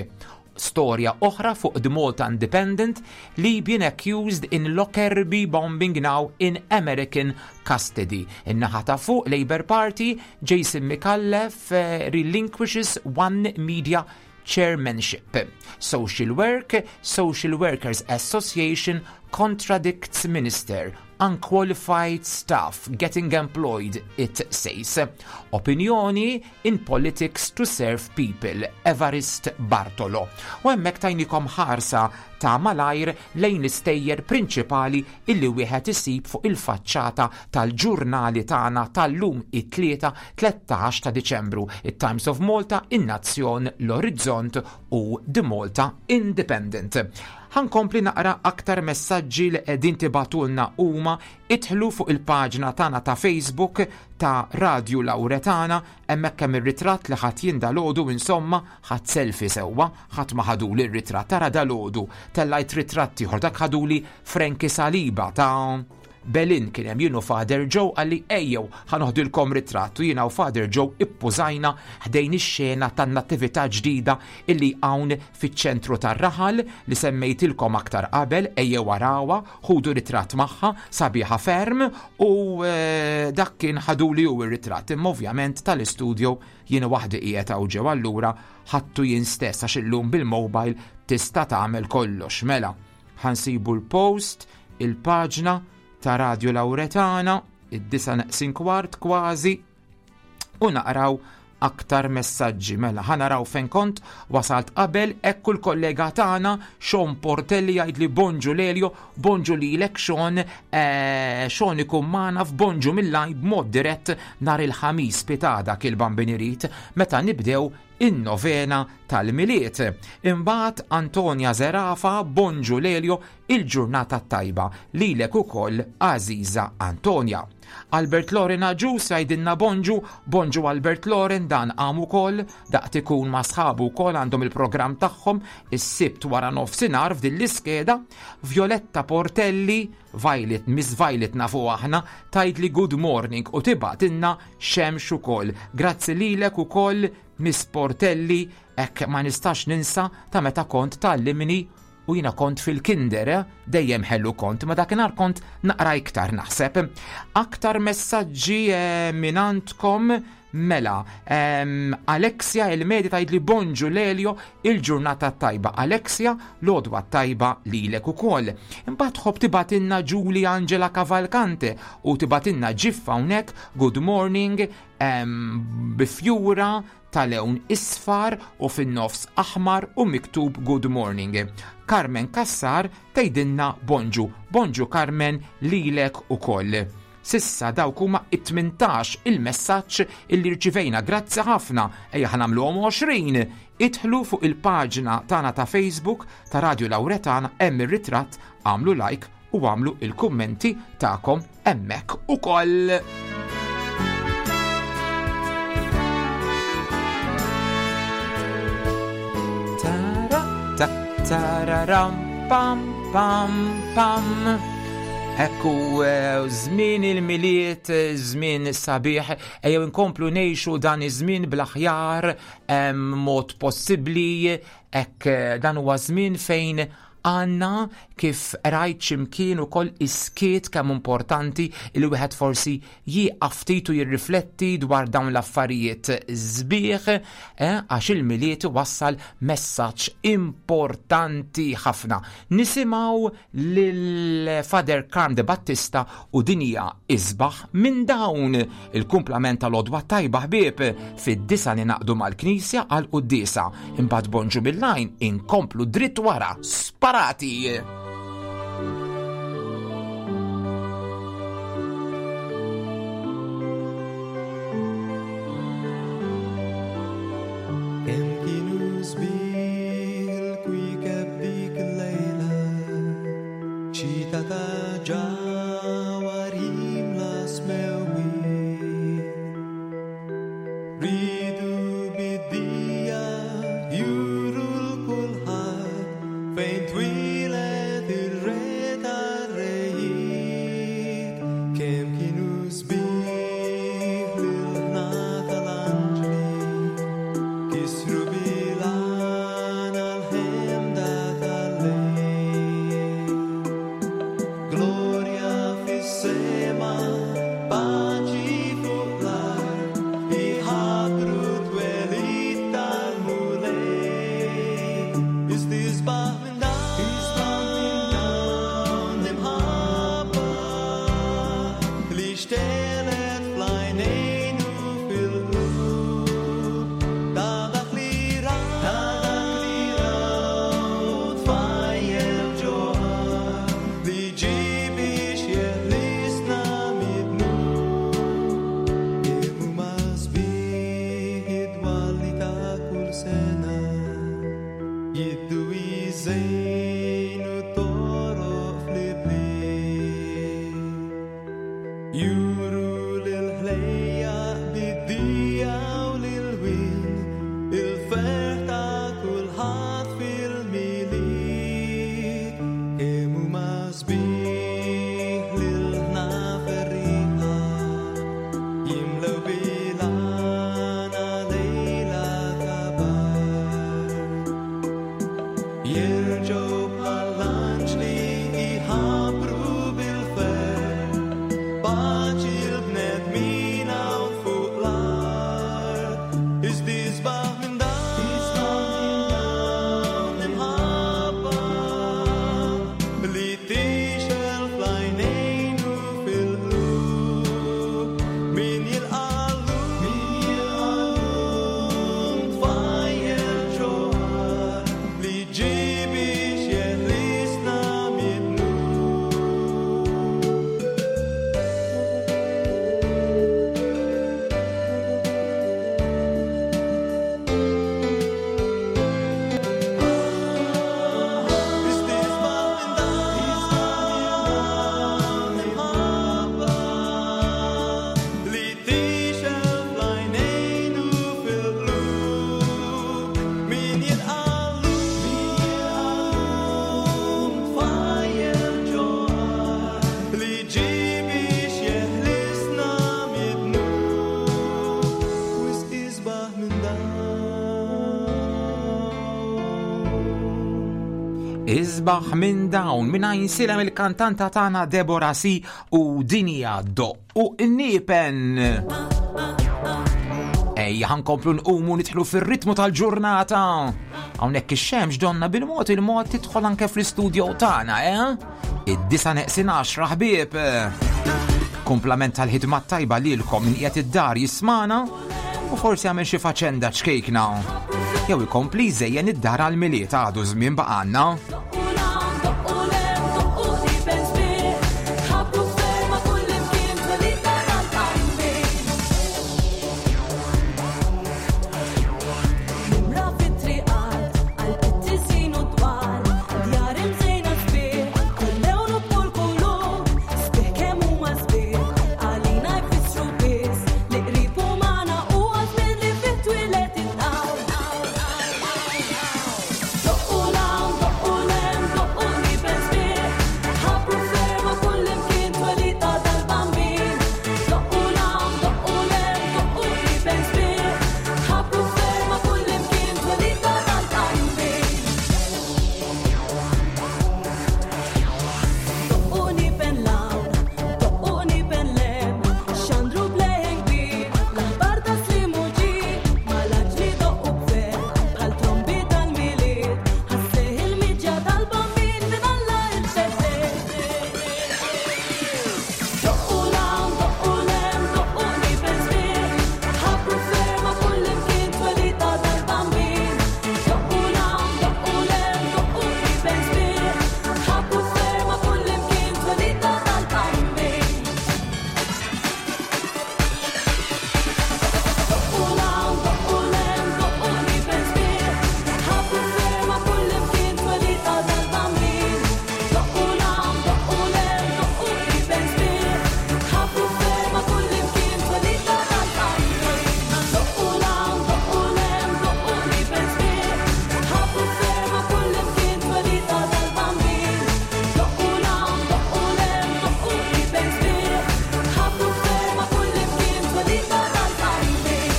Storja oħra fuq The Malta Independent: Libyan accused in Lockerbie bombing now in American custody. In-naħa ta' fuq, Labour Party, Jason Micallef uh, relinquishes One Media chairmanship. Social Work, Social Workers Association contradicts minister. Unqualified staff getting employed, it says. Opinjoni: in politics to serve people, Evarist Bartolo. U hemmhekk tajnikom ħarsa ta' malajr lejn l-istejjer prinċipali illi wieħed isib fuq il-faċċata tal-ġurnali tagħna tal-lum, it-Tlieta tlettax ta' Diċembru. It-Times of Malta, In-Nazzjon, L-Orizzont u The Malta Independent. Ħa nkompli naqra aktar messaġġi li qegħdin tibagħtulna huma. Idħlu fuq il-paġna tagħna ta' Facebook ta' Radio Lauretana, hemmhekk hemm ir-ritratt li ħadt jien dalgħodu, insomma, ħadt selfie sewwa, ħadd ma ħaduli r-ritratt. Tara, dalgħodu tellajt ritratt ieħor, dak ħaduli Frankie Saliba ta' Belin. Kien hemm jien u Father Joe, qalli ejjew ħa noħdilkom ritratt, u jiena u Father Joe ippużajna ħdejn ix-xena tan-nattività ġdida illi hawn fiċ-ċentru tar-raħal li semmejtilkom aktar qabel. Ejjew arawha, ħudu ritratt magħha, sabiħa ferm, u eh, dak kien ħaduli hu ir-ritratt, imma ovvjament tal-istudio jiena waħdi qiegħed hawn ġew, allura ħadtu jien stess għax illum bil-mobile tista' tagħmel kollox. Mela, ħa nsibu l-post, il-paġna ta' Radio Lauretana, id-disa neqsin kwart kważi, u naqraw Aktar messaġġi mela ħa naraw fejn kont wasalt qabel, ekku l-kollega tagħna Sean Portelli jgħid li bonġu Lelio, bonġu lilek Sean, eh, Sean ikun magħna f'Bonġu mill-lajn b'mod dirett nhar il-Ħamis pitada kil-Bambin irid meta nibdew in-novena tal-Milied. Imbagħad Antonia Zerafa, bonġu Lelio, il-ġurnata tajba lilek ukoll Aziza Antonia. Albert Loren Aġus jgħidilna bonġu, bonġu Albert Loren, dan għam ukoll, daqt ikun ma' sħabu wkoll għandhom il-programm tagħhom is-Sibt wara nofsinhar f'din l-iskeda. Violetta Portelli, Violet, Miss Violet nafu aħna, tgħidli good morning u tibgħatilna xemx ukoll. Grazzi lilek ukoll Miss Portelli, hekk ma nistax ninsa ta' meta kont tallimni u jina kont fil-kinder, eh? Dejjem ħellu kont, ma dakinhar kont naqra iktar naħseb. Aktar messaġġi, eh, minn għandkom mela. Em, Alexia il-Medi tgħidli bonġu Lelio, il-ġurnata tajba. Alexia, l-odwa tajba lilek ukoll. Imbagħad ħobb tibatinna Julie Angela Cavalcante u tibatinna ġiffa hawnhekk good morning, em, bifjura ta' lewn isfar u fin-nofs aħmar u miktub good morning. Carmen Kassar tgħidilna bonġu, bonġu Carmen lilek ukoll. Sissa dawk huma it-tmintax il-messaġġ illi rċivejna, grazzi ħafna, ejja ħa nagħmluhom għoxrin. Idħlu fuq il-paġna tagħna ta' Facebook ta' Radio Lauretana, hemm ir-ritratt, għamlu like u għamlu il-kummenti tagħkom hemmhekk ukoll. Tara, ta, tararam, pam, pam, pam. Ekku, eh, żmien il-Milied, żmien sabiħ, ejjew inkomplu ngħixu dan iż-żmien bl-aħjar, em, mod possibbli, hekk, eh, dan huwa żmien fejn għanna kif rajt ximkien u koll iskiet kemm importanti li wieħed forsi jieqaf ftit u jirrifletti dwar dawn l-affarijiet sbieħ, eh, għax il-Milied wassal messaġġ importanti ħafna. Nisimgħu lil Father Carm de Battista u dinja isbaħ minn dawn. Il-kumplament tal-odwa tajba ħbieb, fid-disa ninaqdu mal-Knisja għal quddiesa. Imbagħad bonġu bil-lajn inkomplu dritt wara sparati. Kemm kienu sbieħ il-kwiekeb dik il-lejla, xita ta' ġawhar jimla smewwiet. Ridu bid-dija juru l-kulħadd fejn twieled ir-re tar-rejiet. Kemm kienu sbieħ l-ilħna tal-anġli, kisru bilana l-ħemda tal-lejl. Gloria fis-sema, paċi fuq l-art, iħabbru twelid tal-Mulej. Istisbaħ minn dawn l-imħabba li xtelet fl-għajnejn u fil-qlub ta' dak li raw, ta' dak li raw tfajjel ġoħar li ġie biex jeħlisna mid-dnub. Kemm huma sbieħ id-dwalli ta' kull sena, jiddu jżejnu toroq fl-ibliet. Juru lil-ħlejjaq bid-dija u lil-wien, il-ferħ ta' kulħadd fil-Milied. Kemm huma sbieħ lil-ħna ferrieħa, jimlew bilana lejla ta' bar. Isbaħ minn dawn minn Għajnsielem il-kantanta tagħna Deborah C u Dinja Doqqu Qniepen. Ejja, ħa nkomplu nqumu nidħlu fir-ritmu tal-ġurnata. Hawnhekk ix-xemx donna bil-mod il-mod tidħol anke fl-istudio tagħna, eh? Id-disa neqsin għaxra, ħbieb. Kumplament tal-ħidma tajba lilkom min qiegħed id-dar jismagħna u forsi għamel xi faċenda ċkejkna. Jew ikompli jżejjen id-dar għal-Milied, għadu żmien baqgħalna. Doqqu qniepen sbieħ, ħabbru ferma kullimkien twelid tal-Bambin. Nimra fit-triqat, għal-qittisin u dwal, djar imżejna sbieħ, kull lewn u kull kulur, sbieħ kemm huma sbieħ, għalina jfissru biss li qrib u magħna u għażmin li fih twieled id-dawl. Doqqu 'l hawn, doqqu 'l hemm, doqqu qniepen sbieħ, ħabbru ferma kullimkien twelid tal-Bambin. Doqqu 'l hawn, doqqu 'l hemm, doqqu qniepen sbieħ, ħabbru ferma kullimkien twelid tal-Bambin. Doqqu qniepen 'l hawn, doqqu qniepen 'l hemm, xandru b'leħen kbir, l-aħbar ta' slim u ġid, mal-anġli doqqu b'ferħ, bħal trombi tal-Milied, ħa sseħħ il-miġja tal-Bambin minn Alla il-Feddej. Doqqu 'l hawn, doqqu 'l hemm, doqqu qniepen sbieħ, ħabbru ferma kullimkien twelid tal-Bambin. Doqqu 'l hawn, doqqu 'l hemm, doqqu qniepen sbieħ, ħabbru ferma kullimkien twelid tal-Bambin. Doqqu 'l hawn, doqqu 'l hemm, doqqu qniepen sbieħ, ħabbru ferma kullimkien twelid tal-Bambin. Doqqu 'l hawn, doqqu 'l hemm, doqqu qniepen sbieħ, ħabbru ferma kullimkien twelid tal-Bambin. Doqqu 'l hawn, doqqu 'l hemm, doqqu qniepen sbieħ, ħabbru ferma kullimkien twelid tal-Bambin. Doqqu 'l hawn, doqqu 'l hemm, doqqu qniepen sbieħ, ħabbru ferma kullimkien twelid tal-Bambin.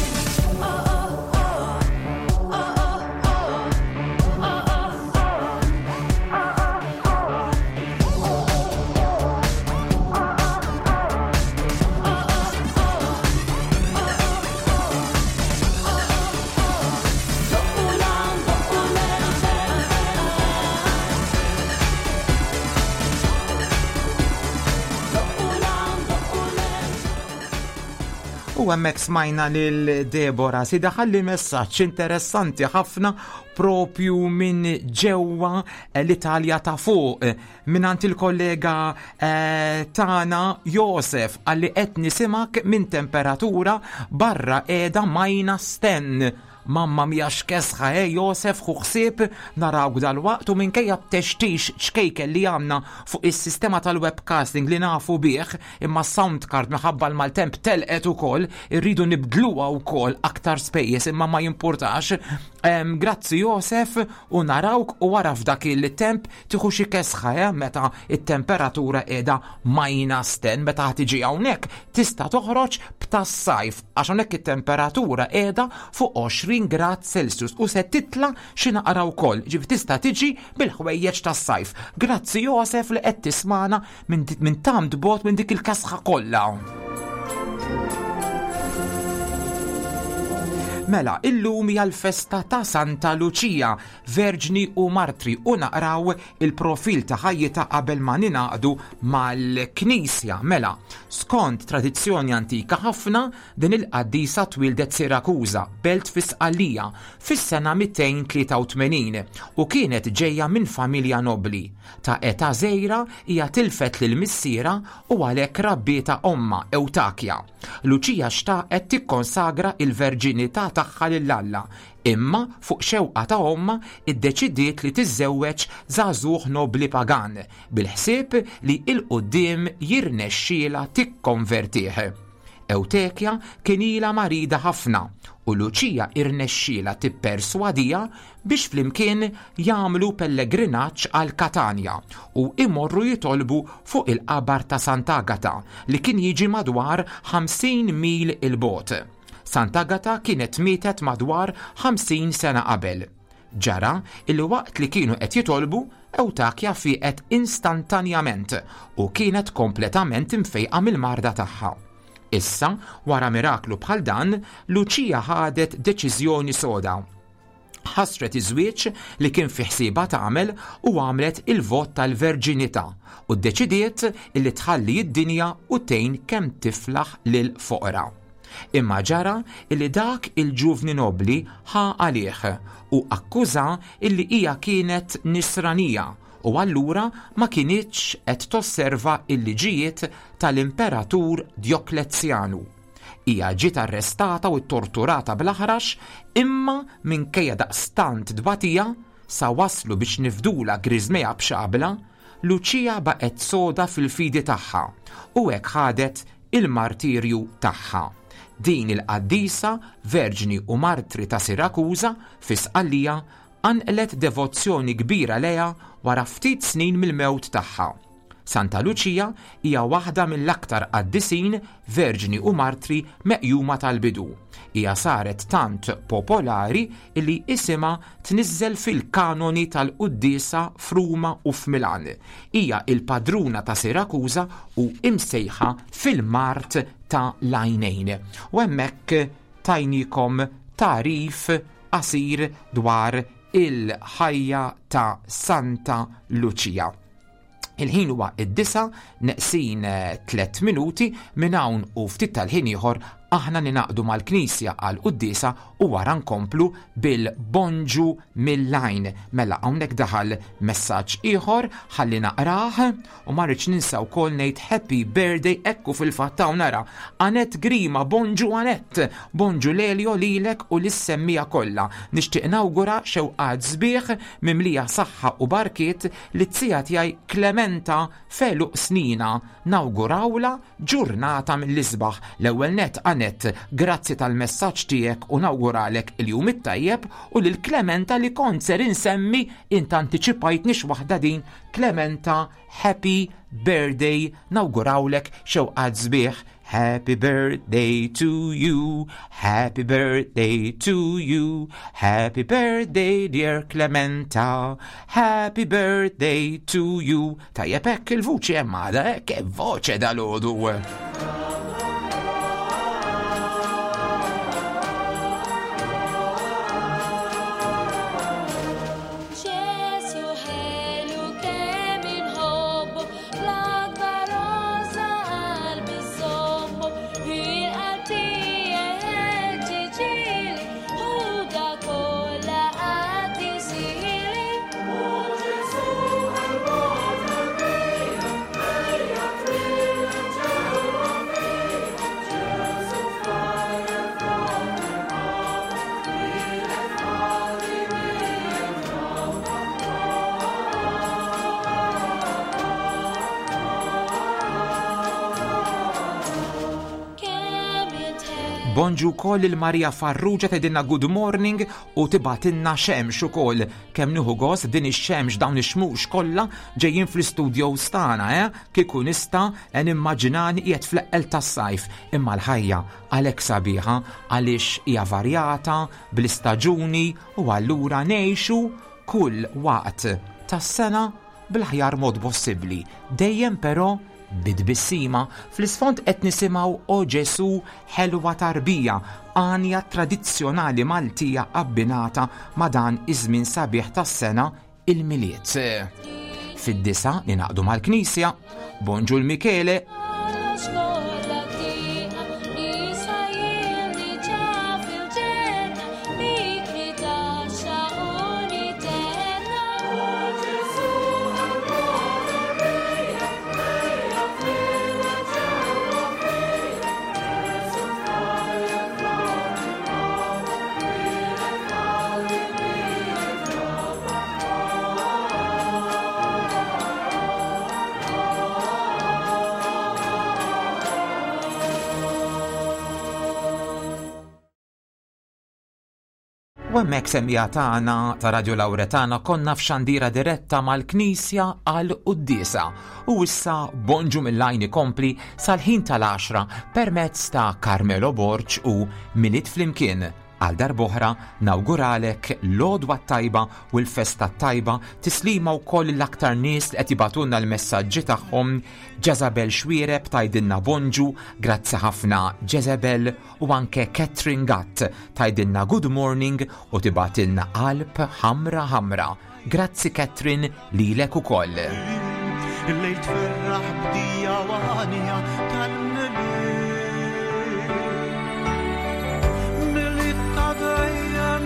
Oh oh oh, oh oh oh, oh oh. Doqqu 'l hawn, doqqu 'l hemm, doqqu 'l hawn, doqqu 'l hemm. U hemmhekk smajna lil Deborah C ħalliet messaġġ interessanti ħafna propju minn ġewwa l-Italja ta' fuq mingħand il-kollega eh, tagħna Josef, għalli qed nisimgħek minn temperatura barra qiegħda minus ten. Mamma mia x'kesħa, eh, Josef, ħu ħsieb, narawk dal-waqt u minkejja t-textix ċkejken li għandna fuq is-sistema tal-webcasting li nafu bih, imma sound card minħabba l-maltemp telqet ukoll, irridu nibdluha wkoll, aktar spejjeż, imma ma jimpurtax. Em, Grazzi Josef u narawk u wara f'dak il-temp tieħu xi kesħa, eh, meta it-temperatura qiegħda minus ten, meta tiġi hawnhekk tista' toħroġ b'tas-sajf għax hawnhekk it-temperatura qiegħda fuq għoxrin grad Celsius u se titla xi naqra wkoll, ġifieri tista' tiġi bil-ħwejjeġ tas-sajf. Grazzi Josef li qed tismana minn minn tant bogħod minn dik il-kesħa kollha. Mela, illum hija l-festa ta' Santa Luċija, Verġni u Martri, u naqraw il-profil ta' ħajjita qabel ma ningħaqdu mal-Knisja. Mela, skont tradizzjoni antika ħafna, din il-qaddisa twildet Sirakuża, belt fi Sqallija, fis-sena mitejn tlieta u tmenin u kienet ġejja minn familja nobli. Ta' età żgħira hija tilfet lil missiera u għalhekk rabbietha omma Ewtakja. Luċija xtaqet tikkonsagra il-verġinità tagħha lil Alla, imma fuq xewqa ta' omma iddeċidiet li tiżżewweġ żagħżugħ nobli pagan bil-ħsieb li 'l quddiem jirnexxiela tikkonvertih. Ewtekja kien ilha marida ħafna u Luċija irnexxiela tipperswadija biex flimkien jagħmlu pellegrinaġġ għal Katanja u imorru jitolbu fuq il-qabar ta' Sant'Agata li kien jiġi madwar ħamsin mil 'il bogħod. Sant'Agata kienet mietet madwar ħamsin sena qabel. Ġara illi waqt li kienu qed jitolbu, Ewtakja fieqet instantanjament u kienet kompletament imfejqa mill-marda tagħha. Issa, wara miraklu bħal dan, Luċija ħadet deċiżjoni soda. Ħasret iż-żwieġ li kien fi ħsiebha tagħmel u għamlet il-vot tal-verġinità u ddeċidiet illi tħalli d-dinja u tgħin kemm tiflaħ lil foqra. Imma ġara illi dak il-ġuvni nobli ħa għalih u akkuża illi hija kienet nisranija u allura ma kinitx qed tosserva il-liġijiet tal-imperatur Djoklezjanu. Hija ġiet arrestata u torturata bl-aħrax, imma minkejja daqstant tbatija sa waslu biex nifdula griżmejha b'xabla, Luċija baqgħet soda fil-fidi tagħha u hekk ħadet il-martirju tagħha. Din il-qaddisa, verġni u martri ta' Sirakuża fi Sqallija, qanqlet devozzjoni kbira lejha wara ftit snin mill-mewt tagħha. Santa Luċija hija waħda mill-aktar qaddisin, verġni u martri meqjuma tal-bidu. Hija saret tant popolari illi isimha tniżżel fil-kanoni tal-quddiesa f'Ruma u f'Milan. Hija il-padruna ta' Sirakuża u imsejħa fil-mart ta' l-għajnejn. U hemmhekk tajnikom tarif qasir dwar il-ħajja ta' Santa Luċija. Il-ħin huwa id-disa neqsin tliet minuti minn hawn u ftit tal-ħin ieħor aħna ninaqdu mal-Knisja għal quddiesa u wara nkomplu bil-bonġu mill-lajn. Mela hawnhekk daħal messaġġ ieħor ħalli naqrah u ma rridx ninsa wkoll ngħid happy birthday ekku fil-fatt hawn nara Anet Grima, bonġu Anet, bonġu Lelio lilek u lis-semmija kollha. Nixtieq nawgura xewqat sbieħ mimlija saħħa u barkiet li t-sija tiegħi Clementa feluq snina, nawgurawla ġurnata mill-isbaħ. L-ewwel net Anet, grazzi tal-messaġġ tiegħek u nawguralek il-jum it-tajjeb u lil Clementa li kont ser insemmi int antiċipajtni waħda din. Clementa, happy birthday, nawgurawlek xewqat sbieħ. Happy birthday to you, happy birthday to you, happy birthday dear Clementa, happy birthday to you. Tajjeb hekk il-vuċi hemm għadha, eh? Che voce dalgħodu. Ġesu ħelu kemm inħobbu, l-akbar għożża qalbi żommu, il-qalb tiegħek ġiġili, ħuda kollha qaddisili. O Ġesu Bonġu koll il-Maria Farrugia tgħidilna good morning u tibatilna xemx ukoll. Kemm nieħu gost din ix-xemx, dawn ix-xmux kollha ġejjin fl-istudio stana, eh? Kieku nista' nimmaġinani qiegħed fl-eqqel tas-sajf, imma l-ħajja għalhekk sabiħa għaliex hija varjata bl-istaġuni u allura ngħixu kull waqt tas-sena bl-aħjar mod possibbli. Dejjem però bidbissima. Fl-isfond qed nisimgħu O Ġesu ħelwa tarbija, għanja tradizzjonali Maltija abbinata ma' dan iż-żmien sabiħ tas-sena, il-Milied. Fid-disa ninaqdu mal-Knisja. Bonġu l-Michele. U hemmhekk semmija tagħna ta' Radio Lauretana konna f'xandira diretta mal-Knisja għal quddiesa. U issa bonġu mill-lajn ikompli sal-ħin tal-għaxra permezz ta' Carmelo Borg u Milied Flimkien. Għal darb'oħra nawguralek l-għodwa t-tajba u l-festa t-tajba, tislima wkoll l-aktar nies li qed jibagħtulna l-messaġġi tagħhom. Jezabel Xwiereb tgħidilna bonġu, grazzi ħafna Jezabel, u anke Catherine Gatt tgħidilna good morning u tibgħatilna qalb ħamra ħamra. Grazzi Catherine lilek ukoll. Illejl tferraħ bdija għanja tal-Milied. Milied ta' dejjem,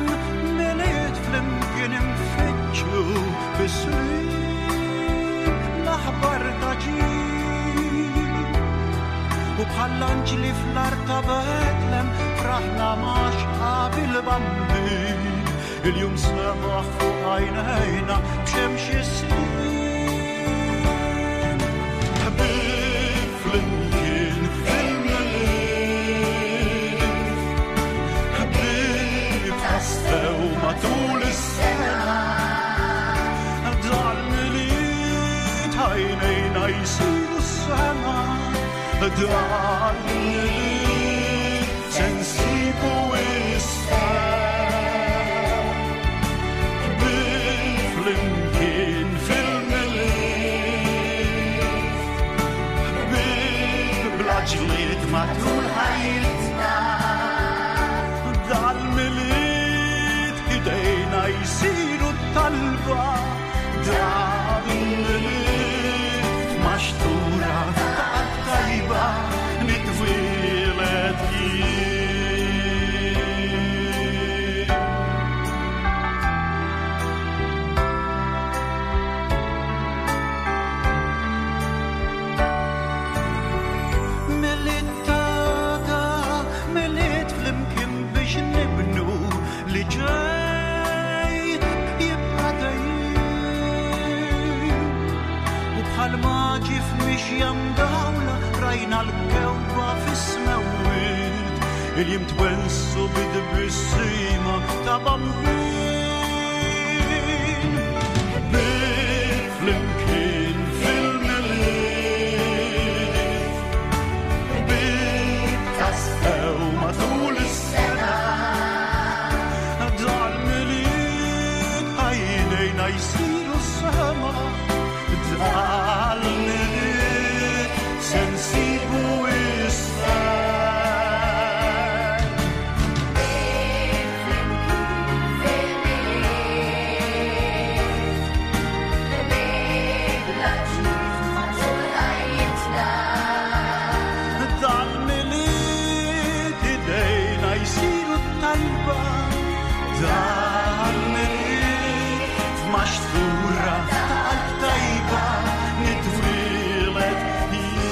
Milied flimkien infittxu fis-sliem l-aħbar ta' ġid. U bħall-anġli fl-art ta' Betlem fraħna ma' xqab il-Bambin. Il-jum sebaħ fuq għajnejna b'xemx is-snin. Ħbieb flimkien fil-Milied, ħbieb tassew matul is-sena. Dal-Milied għajnejna jsiru s-sema, dal-Milied se nsibu issa. Ħbieb flimkien fil-Milied, ħbieb bla ġlied matul ħajjitna. Dal-Milied idejna jsiru talba, dal-Milied maxtura ta' qalb tajba nitwieled jien. Milied tada, Milied flimkien biex nibnu li ġej jibqa' dejjem. U bħal maġi f'mixja mdawla rajna l-kewkba fis-smewwiet. Il-jiem twensu bid-tbissima ta' Bambin. Ħbieb flimkien fil-Milied, ħbieb tassew matul is-sena. Dal-Milied għajnejna jsiru s-sema, dal-Milied se nsibu issa. Dal-Milied idejna jsiru talba, dal-Milied f'maxtura ta' qalb tajba nitwieled jien.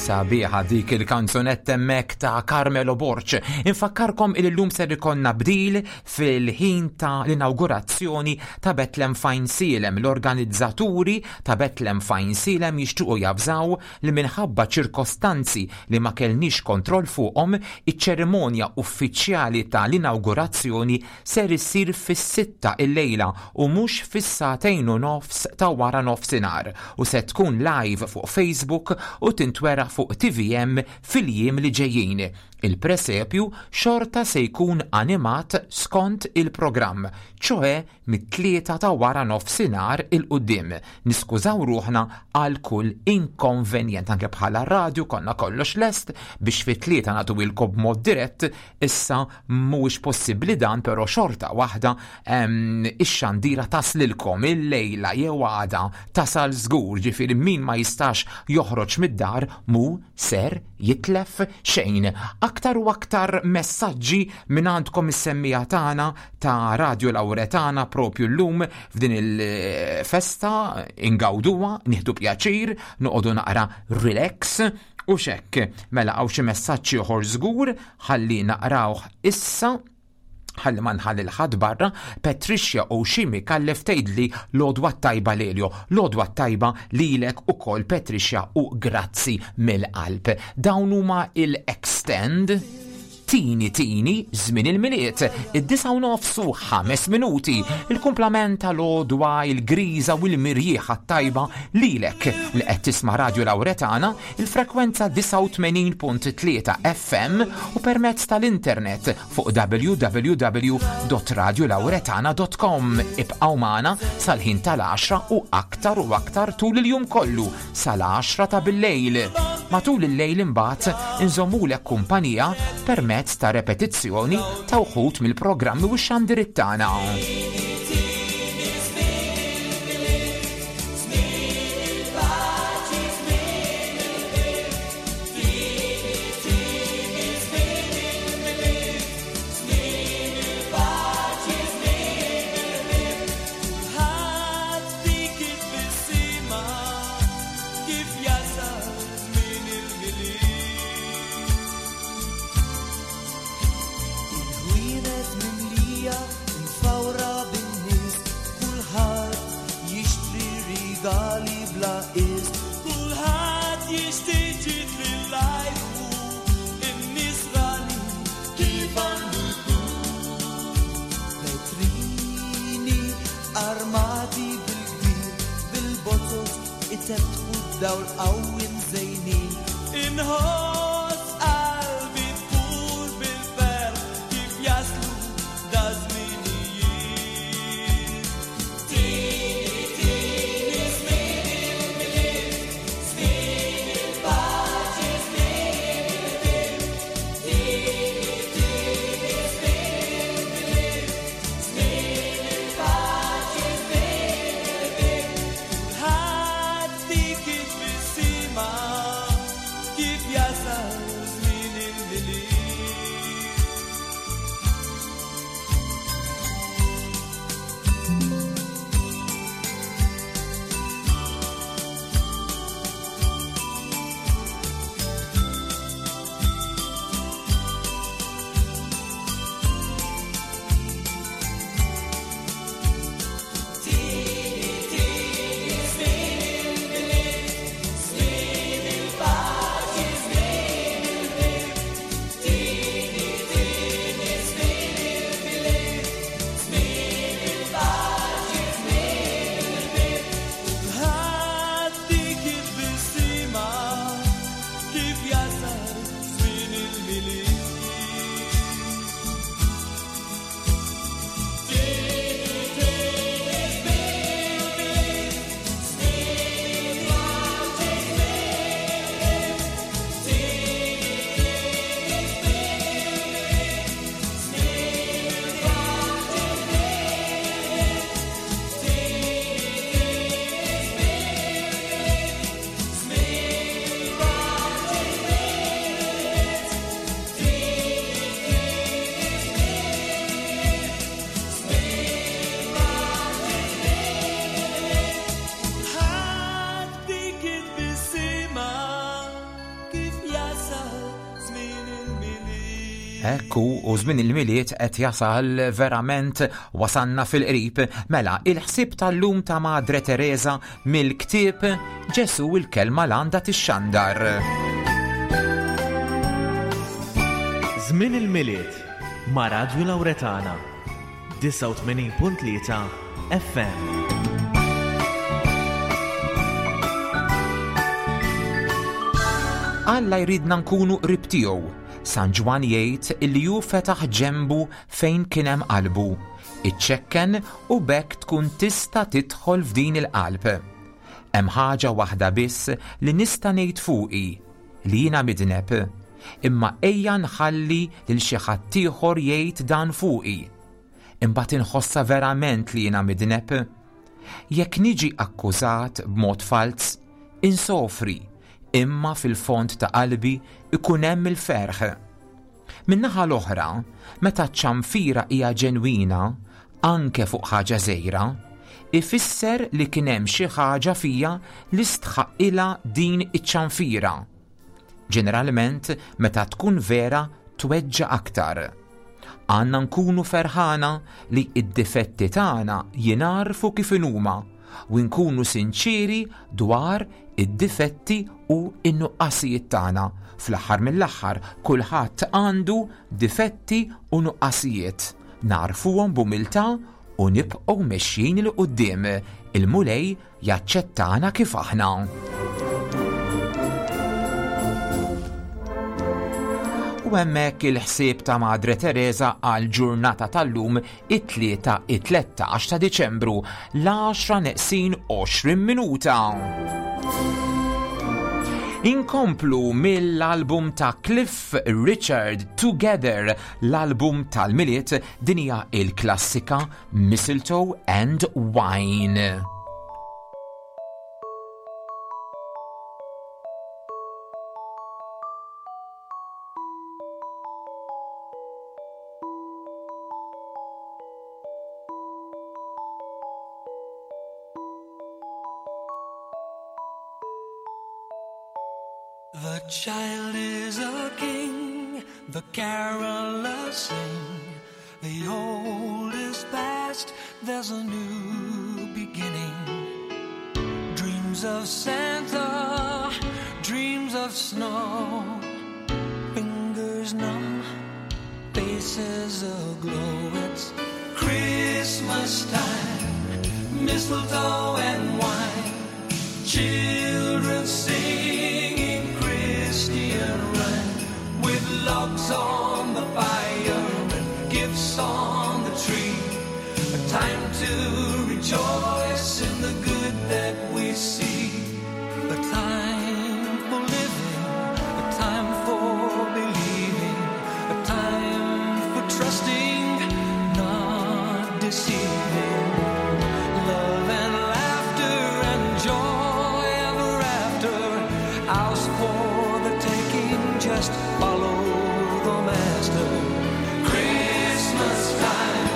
Sabiħa dik il-kanzunetta hemmhekk ta' Carmelo Borg. Infakkarkom il-lum ser ikonna bdil fil-ħin ta' l-inaugurazzjoni ta' Betlem Fajnsielem. L-organizzaturi ta' Betlem Fajnsielem jixtiequ javżaw li minħabba ċirkostanzi li ma kellniex kontroll fuqhom, iċ-ċerimonja uffiċjali ta' l-inaugurazzjoni ser issir fis-sitta il-lejla u mhux fis-sagħtejn u nofs ta' wara nofsinhar, u se tkun live fuq Facebook u tintwera fuq T V M fil-jiem li ġejjin. Il-presepju xorta se jkun animat skont il-programm, ċoħe mit-tlieta ta' wara nofsinhar il-qudiem. Niskużaw ruħna għal kull inkonvenjent, anke bħala radju konna kollox lest biex fit-tlieta nagħtu ilkom b'mod dirett, issa mhuwiex possibbli dan, però xorta waħda, em, ix-xandira taslilkom il-lejla jew għada tasal żgur, ġifieri min ma jistax joħroġ mid-dar mu ser jitlef xejn. Aktar u aktar messaġġi minn għandkom is-semmija tagħna ta' Radio Lauretana propju llum f'din il-festa ingawduha, nieħdu pjaċir, noqogħdu naqra relax u xekk. Mela hawn xi messaġġ ieħor żgur ħalli naqrawh issa, ħalli ma nħalli l-ħadd barra. Patricia Oshimi kallef tgħidli l-għodwa tajba Lelio, l-għodwa tajba lilek ukoll Patricia, u grazzi mill-qalb. Dawn huma il-Extend Tini Tini Żmien il-Milied, id-disgħa u nofs u ħames minuti, il-kumplament tal-għodwa, il-griża u l-mirjieħa t-tajba lilek li qed tisma' Radio Lauretana, il-frekwenza disgħa u tmenin punt tlieta F M u permezz tal-internet fuq w w w dot radio lauretana dot com. Ibqgħu magħna sal-ħin tal-għaxra u aktar u aktar tul il-jum kollu sal-għaxra ta' bil-lejl. Matul il-lejl imbagħad inżommulek kumpanija permezz ta' repetizzjoni ta' wħud mill-programmi u x-xandiriet tagħna. Dawl qawwi mżejnin inħoss qalbi tfur bil-ferħ kif jaslu da żminijiet. Tini, tini, żmien il-Milied, żmien il-paċi, żmien il-ħbieb. Tini, tini, żmien il-Milied, żmien il-paċi, żmien il-ħbieb. Kulħadd dik it-tbissima kif jasal żmien il-Milied. Ekku, u żmien il-Milied qed jasal verament wasanna fil-qrib. Mela, il-ħsieb tal-lum ta' Madre Teresa mill-ktieb Ġesu il-kelma l-għanda tixxandar. Żmien il-Milied ma' Radio Lauretana, disgħa u tmenin punt tlieta F M. Alla jridna nkunu qrib tiegħu. San Ġwann jgħid illi hu fetaħ ġembu fejn kien hemm qalbu. Iċċekken u bekk tkun tista' tidħol f'din il-qalb. Hemm ħaġa waħda biss li nista' ngħid fuqi, li jiena midneb, imma ejja nħalli lil xi ħadd ieħor jgħid dan fuqi. Imbagħad inħossha verament li jiena midneb. Jekk niġi akkużat b'mod falz, insofri, imma fil-fond ta' qalbi ikun hemm il-ferħ. Min-naħa l-oħra, meta ċ-ċanfira hija ġenwina, anke fuq ħaġa żgħira, ifisser li kien hemm xi ħaġa fija li stħaqilha din iċ-ċanfira. Ġeneralment, meta tkun vera, tweġġa' aktar. Għandna nkunu ferħana li id-difetti tagħna jingħarfu kif inhuma u nkunu sinċiri dwar id-difetti u n-nuqqasijiet tagħna. Fl-aħħar mill-aħħar kulħadd għandu difetti u nuqqasijiet. Narfuhom b'umiltà u nibqgħu mexjin 'il quddiem. Il-Mulej jaċċettana kif aħna. U hemmhekk il-ħsieb ta' Madre Teresa għal ġurnata tal-lum it-tlieta it-tlettax ta' Diċembru l-għaxra neqsin għoxrin minuta. Inkomplu mill-album ta' Cliff Richard Together, l-album tal-Milied, din hija il-klassika Mistletoe and Wine. The child is a king, the carolers sing. The old is past, there's a new beginning. Dreams of Santa, dreams of snow. Fingers numb, faces aglow. It's Christmas time, mistletoe and wine. Children singing Christian rhyme, with logs on the fire and gifts on the tree. A time to rejoice in the good that we see. A time for living, a time for believing, a time for trusting, not deceiving. Love and laughter and joy ever after, ours for the taking, just follow the master. Christmas time,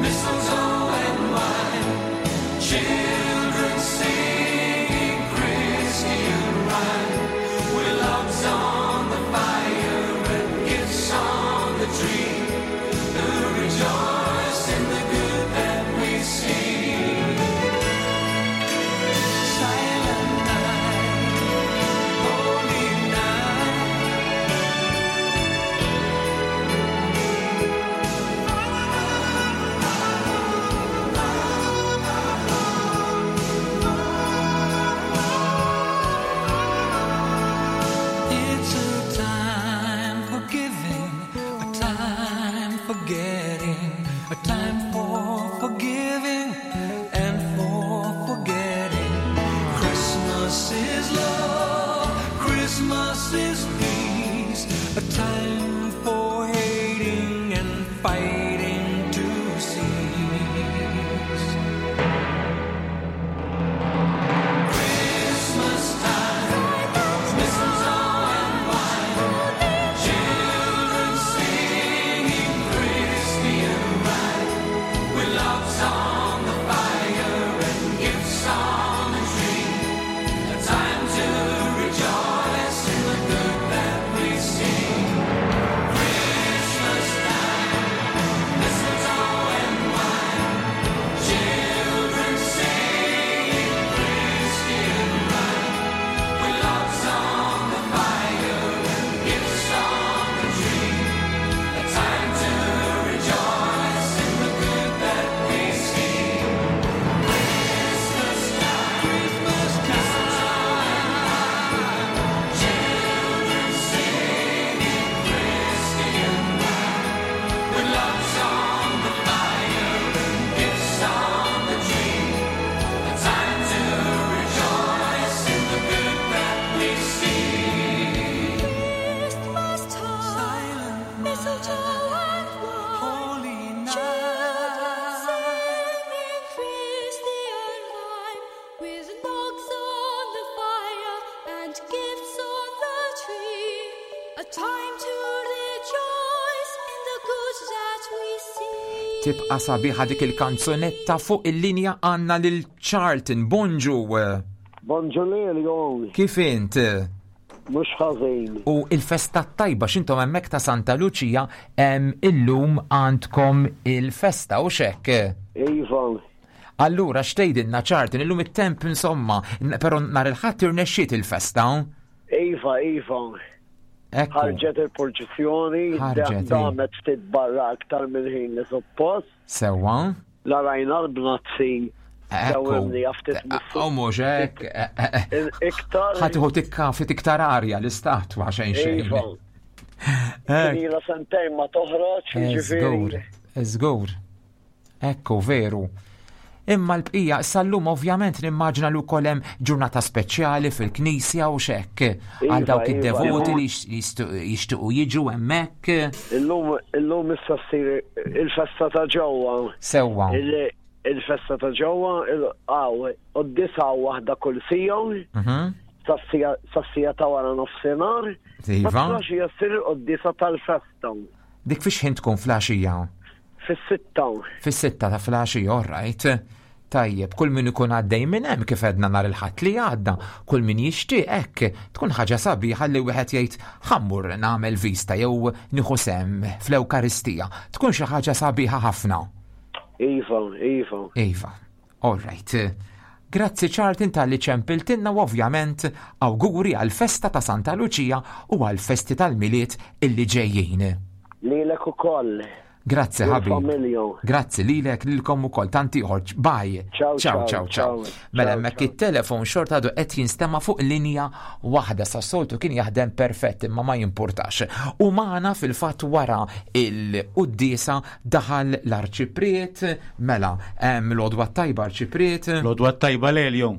mistletoe and wine, children singing Christian rhyme, with logs on the fire and gifts on the tree, to rejoice in the good that we see. Silent night, holy night. It's a time for giving, a time for getting, a time for forgiving and for forgetting. Christmas is love, Christmas is peace, a time for hating and fighting to cease. Christmas time, mistletoe and wine, children singing Christian rhyme, with logs on the fire and gifts on the tree, a time to rejoice in the good that we see. Christmas time, mistletoe and wine, children singing Christian rhyme, with logs on the fire and gifts on the tree, a time to rejoice in the good that we see. Christmas time, Christmas time, children singing Christian rhyme, with logs on the fire and gifts on the tree, a time to rejoice in the good that we see. Christmas time, mistletoe and wine, holy children singing Christian rhyme, with logs on the fire and gifts on the tree, a time to rejoice in the good that we see. Tibqa' sabiħa dik il-kanzunetta. Fuq il-linja għandna lil Charlton. Bonġu. Bonġu lilkom. Kif int? Mhux ħażin. U il-festa tajba x'intom hemmhekk ta' Santa Lucia em, illum għandkom il-festa u xek. Iva. Allura x'tgħidilna Charlton, illum it-temp insomma, n- però nhar il-Ħadd irnexxiet il-festa. Iva, Iva. Ekku. Ħarġet il-purċissjoni, Ħarġet, damet ftit barra aktar minn ħin li suppost. Sewwa. La rajna l-bnazzi. Ekku. Dawimni ftit U mhux hekk. eh, eh, eh. Iktar. Ħa tieħu tikka ftit iktar arja l-istatwa xejn xejn. Iva. Kien ilha sentejn ma toħroġ, Żgur, jiġifieri. żgur. Ekku, veru. Imma l-bqija, sal-lum ovvjament nimmaġina li wkoll hemm ġurnata speċjali fil-knisja u xekk. Għal Iva, dawk iva. id-devoti li jixtu- jixtiequ jiġu hemmhekk. Illum illum issa ssir il-festa ta' ġewwa. Sewwa. Il- Il-festa ta' ġewwa, għaw, qoddisa waħda kull sija, Mhm. sas-sija ta' wara nofsinhar. Iva. Ma flaxija ssir il-qoddisa tal-festa. Dik fiex ħin tkun flaxija? Fis-sitta. Fis-sitta ta' flaxija, all right. Tajjeb, kull min ikun għaddej minn hemm kif għedna nhar il-Ħadd li għadda, kull min jixtieq hekk, tkun ħaġa sabiħa li wieħed jgħid ħammur nagħmel vista jew nieħu sehem fl-Ewkaristija. Tkun xi ħaġa sabiħa ħafna. Iva, iva. Iva, all right. Grazzi Charlton talli ċempiltilna u ovvjament awguri għal-festa ta' Santa Luċija u għal-festi tal-Milied illi ġejjin. Lilek ukoll. Grazzi ħabib. Familju. Grazzi lilek lilkom ukoll tant ieħor. Bye. Ciao, ciao, ciao, ciao. ciao. ciao. Mela hemmhekk it-telefon xorta għadu qed jinstema' fuq linja waħda sa soltu kien jaħdem perfett imma ma jimpurtax. U magħna fil-fatt wara il-quddiesa daħal l-arċipriet, mela hemm l-għodwa tajba arċipriet. L-għodwa tajba Lelio.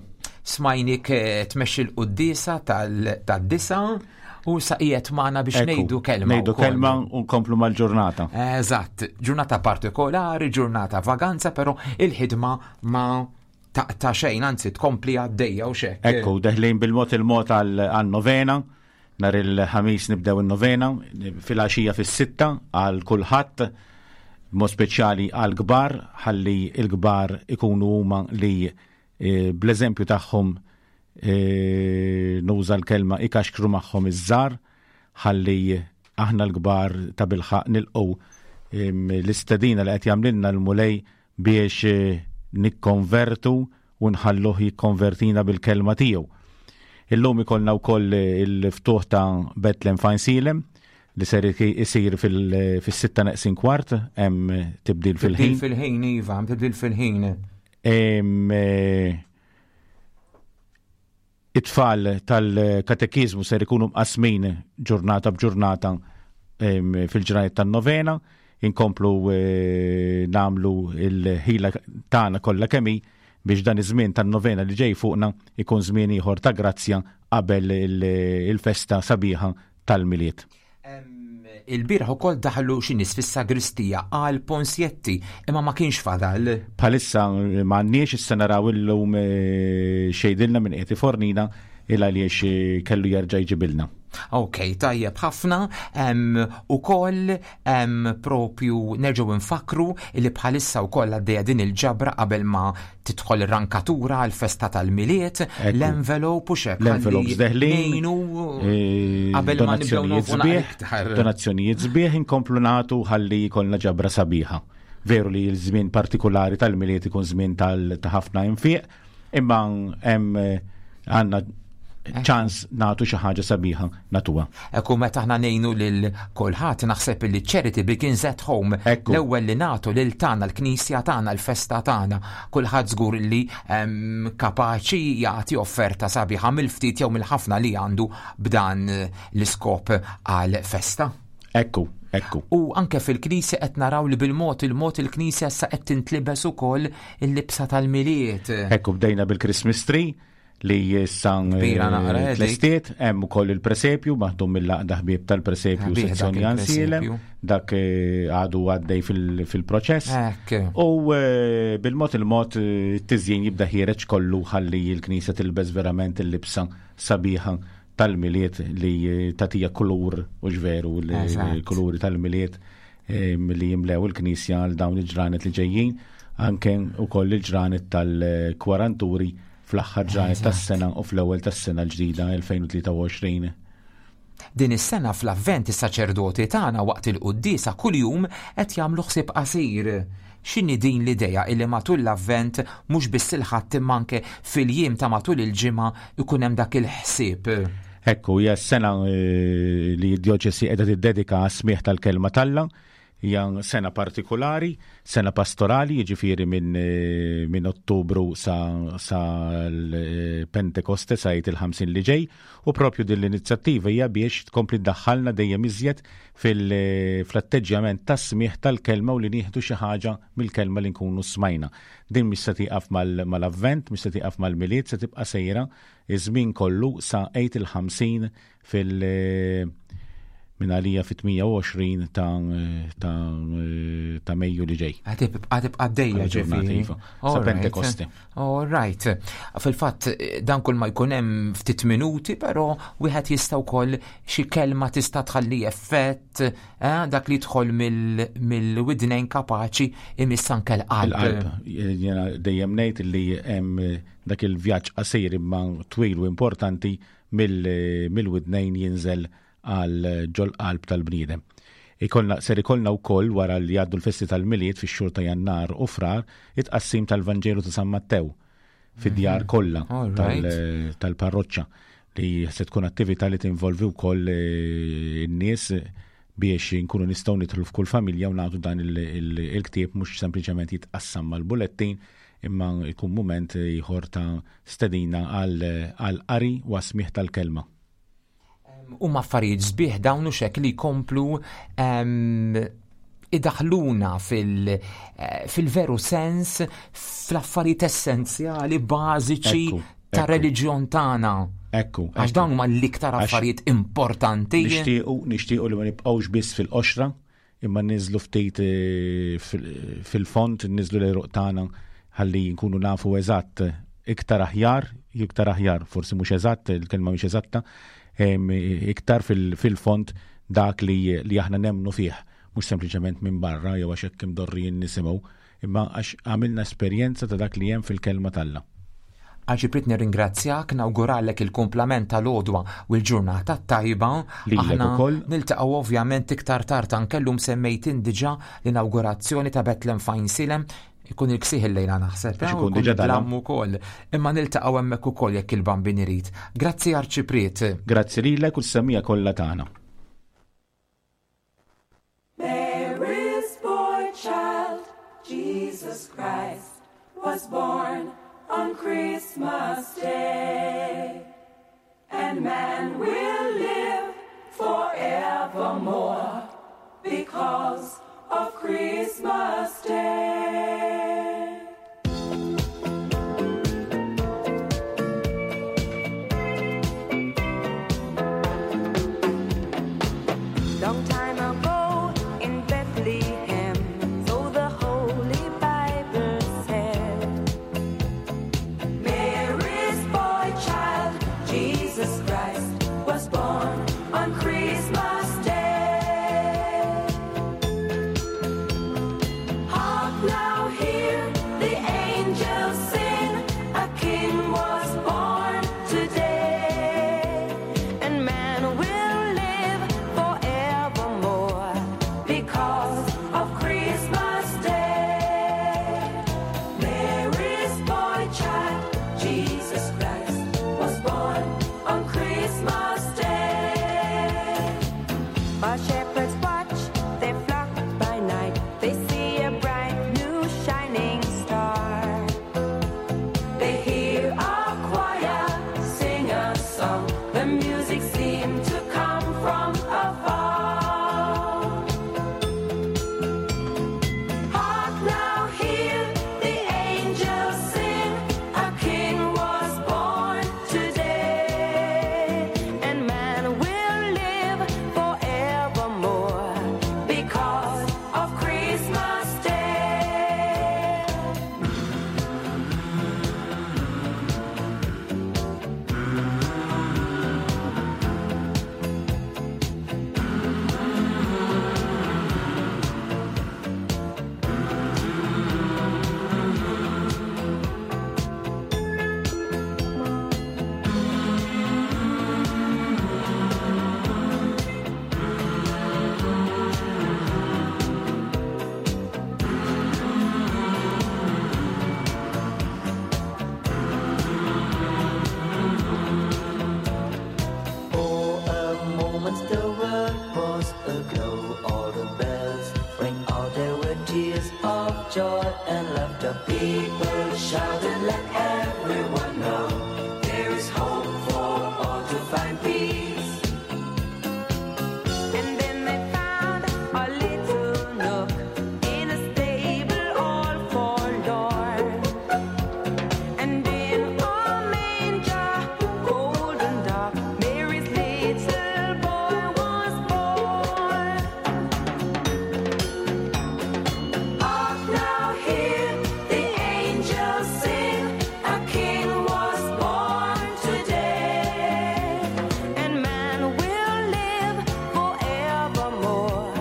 Smajnik eh, tmexxi l-quddiesa tad-disa u sa qiegħed magħna biex Ekku, ngħidu kelma. Ngħidu wkoll. kelma u nkomplu mal-ġurnata. Eżatt, ġurnata partikolari, ġurnata vaganza, però il-ħidma ma taqta xejn, anzi tkompli għaddejja u xek. Ekku, deħlin bil-mod il-mod għal-novena, nar il-ħamis nibdew il-novena, fil-għaxija fis-sitta għal kulħadd, mod speċjali għal kbar, ħalli il-kbar ikunu huma li eh, bl-eżempju tagħhom eh, nuża l-kelma ikaxkru magħhom iż-żar, ħalli aħna l-kbar ta' bilħaq nilqgħu em, l-istedina li qed jagħmlilna l-Mulej biex eh, nikkonvertu u nħalluh jikkonvertina bil-kelma tiegħu. Illum ikollna wkoll il-ftuħ ta' Bethlehem Fajnsilem li ser isir fil- fis-sitta neqsin kwart hemm tibdil Tibdil fil-ħin. fil-ħin, Iva, tibdil fil-ħin. Em, eh, It-tfal tal-katekizmu ser ikunu mqasmin ġurnata b'ġurnata em, fil-ġranet tan-novena, inkomplu eh, namlu il-ħila tagħna kollha kemm hi biex dan iż-żmien tan-novena li ġej fuqna ikun żmien ieħor ta' grazzja qabel il- il-festa sabiħa tal-Milied. Il-bieraħ ukoll daħlu xi nies fis-sagristija għal Ponsjetti, imma ma kienx fadal. Bħalissa eh, m'għandniex issa naraw illum eh, xejdilna minn qiegħed ifornina il għaliex eh, kellu jerġa' jġibilna. Ok, tajjeb ħafna, em, u koll em, propju nerġgħu nfakru li bħalissa u koll għaddejja din il-ġabra qabel ma tidħol ir-rankatura għal festa tal-Milied, l-envelope u xek. L-envelopes ħalli deħlin, ngħinu eh, qabel ma nibdew donazzjonijiet nonfqu sbieħ, iktar. donazzjonijiet sbieħ inkomplu nagħtu ħalli jkollna ġabra sabiħa. Veru li l-żmien partikolari tal-Milied ikun żmien tal- ta' ħafna infiq, imma hemm eh, għandna ċans nagħtu xi ħaġa sabiħa natuha. Ekku meta aħna ngħinu lil kulħadd naħseb li charity begins at home. L-ewwel li nagħtu lil tagħna l-knisja tagħna l-festa tagħna. Kulħadd żgur li em, kapaċi jagħti offerta sabiħa mill-ftit jew mill-ħafna li għandu b'dan eh, l-iskop għal festa. Ekku, ekku. U anke fil-knisja qed naraw li bil-mod il-mod il-knisja issa qed tintlibes ukoll il-libsa tal-Milied. Ekku bdejna bil-Christmas tree li issa Kbira naqra, eh, dik. tlestiet, hemm ukoll il-presepju maħdum mill-laqda ħbieb tal-presepju Ħbieħ dak sezzjoni Ansielem, il-presepju. dak eh, għadu għaddej fil- fil-proċess. Ekk. U eh, bil-mod il-mod eh, t-tiżjin jibda ħiereġ kollu ħalli l-knisja tilbes verament il-libsa sabiħa tal-Milied li eh, tatija kulur u ġveru Eżatt. l-kuluri tal-Milied eh, li jimlew il-knisja għal dawn il-ġranet li ġejjin, anke ukoll il-ġranet tal-kwaranturi fl-aħħar ġranet Eżatt. tas-sena u fl-ewwel tas-sena l-ġdida elfejn u tlieta u għoxrin. Din is-sena fl-Avvent is-saċerdoti tagħna waqt il-quddiesa kuljum qed jagħmlu ħsieb qasir. X'inhi din l-idea illi matul l-Avvent mhux biss il-Ħadd imma anke fil-jiem ta' matul il-ġimgħa ikun hemm dak il-ħsieb? Ekku, hija s-sena eh, li d-djoċesi qiegħda tiddedika għas-smigħ tal-kelma t'Alla. Hija sena partikolari, sena pastorali, jiġifieri minn eh, min Ottubru sa, sa l-Pentekoste, sa Għid il-ħamsin li ġej, u propju din l-inizjattiva hija biex tkompli ddaħħalna dejjem iżjed fil-atteġġjament tas-smigħ tal-kelma u li nieħdu xi ħaġa mill-kelma li nkunu smajna. Din mhix se tieqaf mal-Avvent, mhix se tieqaf mal-Milied, se tibqa' sejra iż-żmien kollu sa Għid il-ħamsin fil- minn għalija fit-tmienja u għoxrin ta' ta' ta' Mejju li ġej. Għad tibqa' għaddejja ġifieri. Iva, sa Pentekoste. All right. Fil-fatt dan kull ma jkun hemm ftit minuti, però wieħed jista' wkoll xi kelma tista' tħalli effett, eh, dak li jidħol mill-widnejn kapaċi imiss anke l-qalb. Il-qalb. Jiena dejjem ngħid li hemm dak il-vjaġġ qasir imma twil u importanti mill-widnejn jinżel għal ġol-qalb tal-bniedem. Ikollna, ser ikollna wkoll wara li jgħaddu l-festi tal-Milied fix-xhur ta' Jannar u Frar it-tqassim tal-Vanġelu ta' San Mattew fid-djar mhm. kollha tal-parroċċa li se tkun attività li tinvolvi wkoll eh, in-nies biex nkunu nistgħu nidħlu f'kull familja u nagħtu dan il-ktieb, mhux sempliċement jitqassam mal-bulettin imma jkun mument ieħor ta' stedina għal qari u smigħ tal-kelma. Huma affarijiet sbieħ dawn u xek li jkomplu idaħluna eh, fil-veru sens fl-affarijiet essenzjali bażiċi ta' reliġjon tagħna. Ekku. Għax dawn huma l-iktar affarijiet importanti. Nixtiequ nixtiequ li ma nibqgħux biss fil-qoxra imma niżlu ftit eh, fil-fond, niżlu l-għeruq tagħna ħalli nkunu nafu eżatt iktar aħjar, iktar aħjar, forsi mhux eżatt, il-kelma mhux eżatta, iktar fil-fond dak li, li aħna nemnu fih, mhux sempliċement minn barra jew għax hekk imdorrijin nisimgħu, imma għax għamilna esperjenza ta' dak li hemm fil-kelma t'Alla. Arċipriet, nirringrazzjak, nawguralek il-kumplament tal-għodwa u l-ġurnata tajba. Aħna niltaqgħu ovvjament iktar tard, anke llum semmejt diġà l-inaugurazzjoni ta' Betlem f'Għajnsielem, ikun il-ksieħ il-lejla naħseb. Għax ikun diġà dalam ukoll. Imma niltaqgħu hemmhekk ukoll jekk il-Bambin irid. Grazzi, Arċipriet. Grazzi lilek u s-semmiegħa kollha tagħna. Mary's boy child, Jesus Christ, was born on Christmas Day. And man will live forevermore because of Christmas Day. Long time ago in Bethlehem, so the Holy Bible said, Mary's boy child, Jesus Christ, was born on Christmas Day. Hark now, hear the angels sing, a king was born today. And man will live forevermore because of Christmas Day. Mary's boy child, Jesus Christ, was born on Christmas Day. While shepherds watch their flock by night, they see a bright new of joy and laughter. People shouted, let everyone know there is hope for all to find peace. And then they found a little nook in a stable all forlorn. And in a manger, cold and dark, Mary's little boy was born. Hark now, hear the angels sing, a king was born today. And man will live forevermore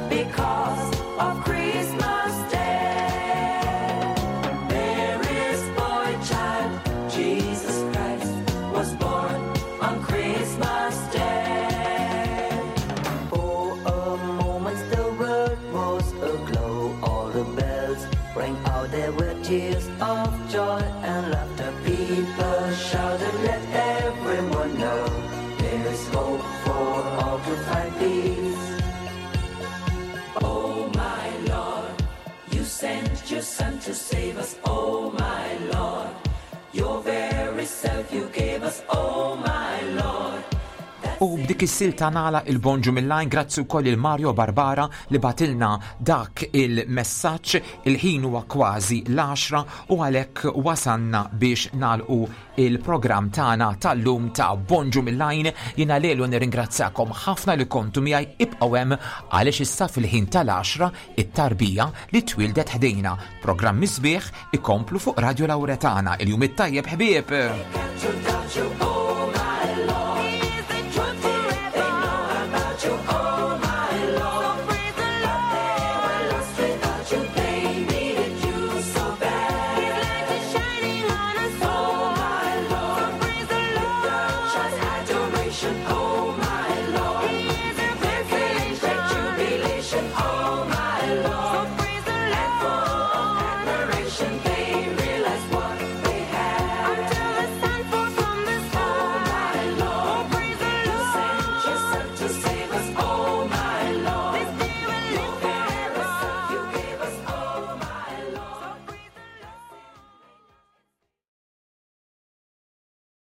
because of Christmas Day. Mary's boy child, Jesus Christ, was born on Christmas Day. For a moment the world was aglow, all the bells rang out, there were tears of joy and laughter. People shouted, let everyone know there is hope for all to find peace. Oh my Lord, you sent your son to save us, oh my Lord. Your very self you gave us, oh my Lord. U b'dik is-silta nagħlaq il-Bonġu mill-Għajn, grazzi wkoll il-Mario Barbara li bagħtilna dak il-messaġġ. Il-ħin huwa kważi l-għaxra u għalhekk wasanna biex nagħlqu il-programm tagħna tal-lum ta' Bonġu mill-Għajn. Jiena lelu nirringrazzjakom ħafna li kontu miegħi. Ibqgħu hemm għaliex issa fil-ħin tal-għaxra it-tarbija li twildet ħdejna. Programm sbieħ ikomplu fuq Radio Lauretana. Il-jum it-tajjeb, ħbieb. To doubt you.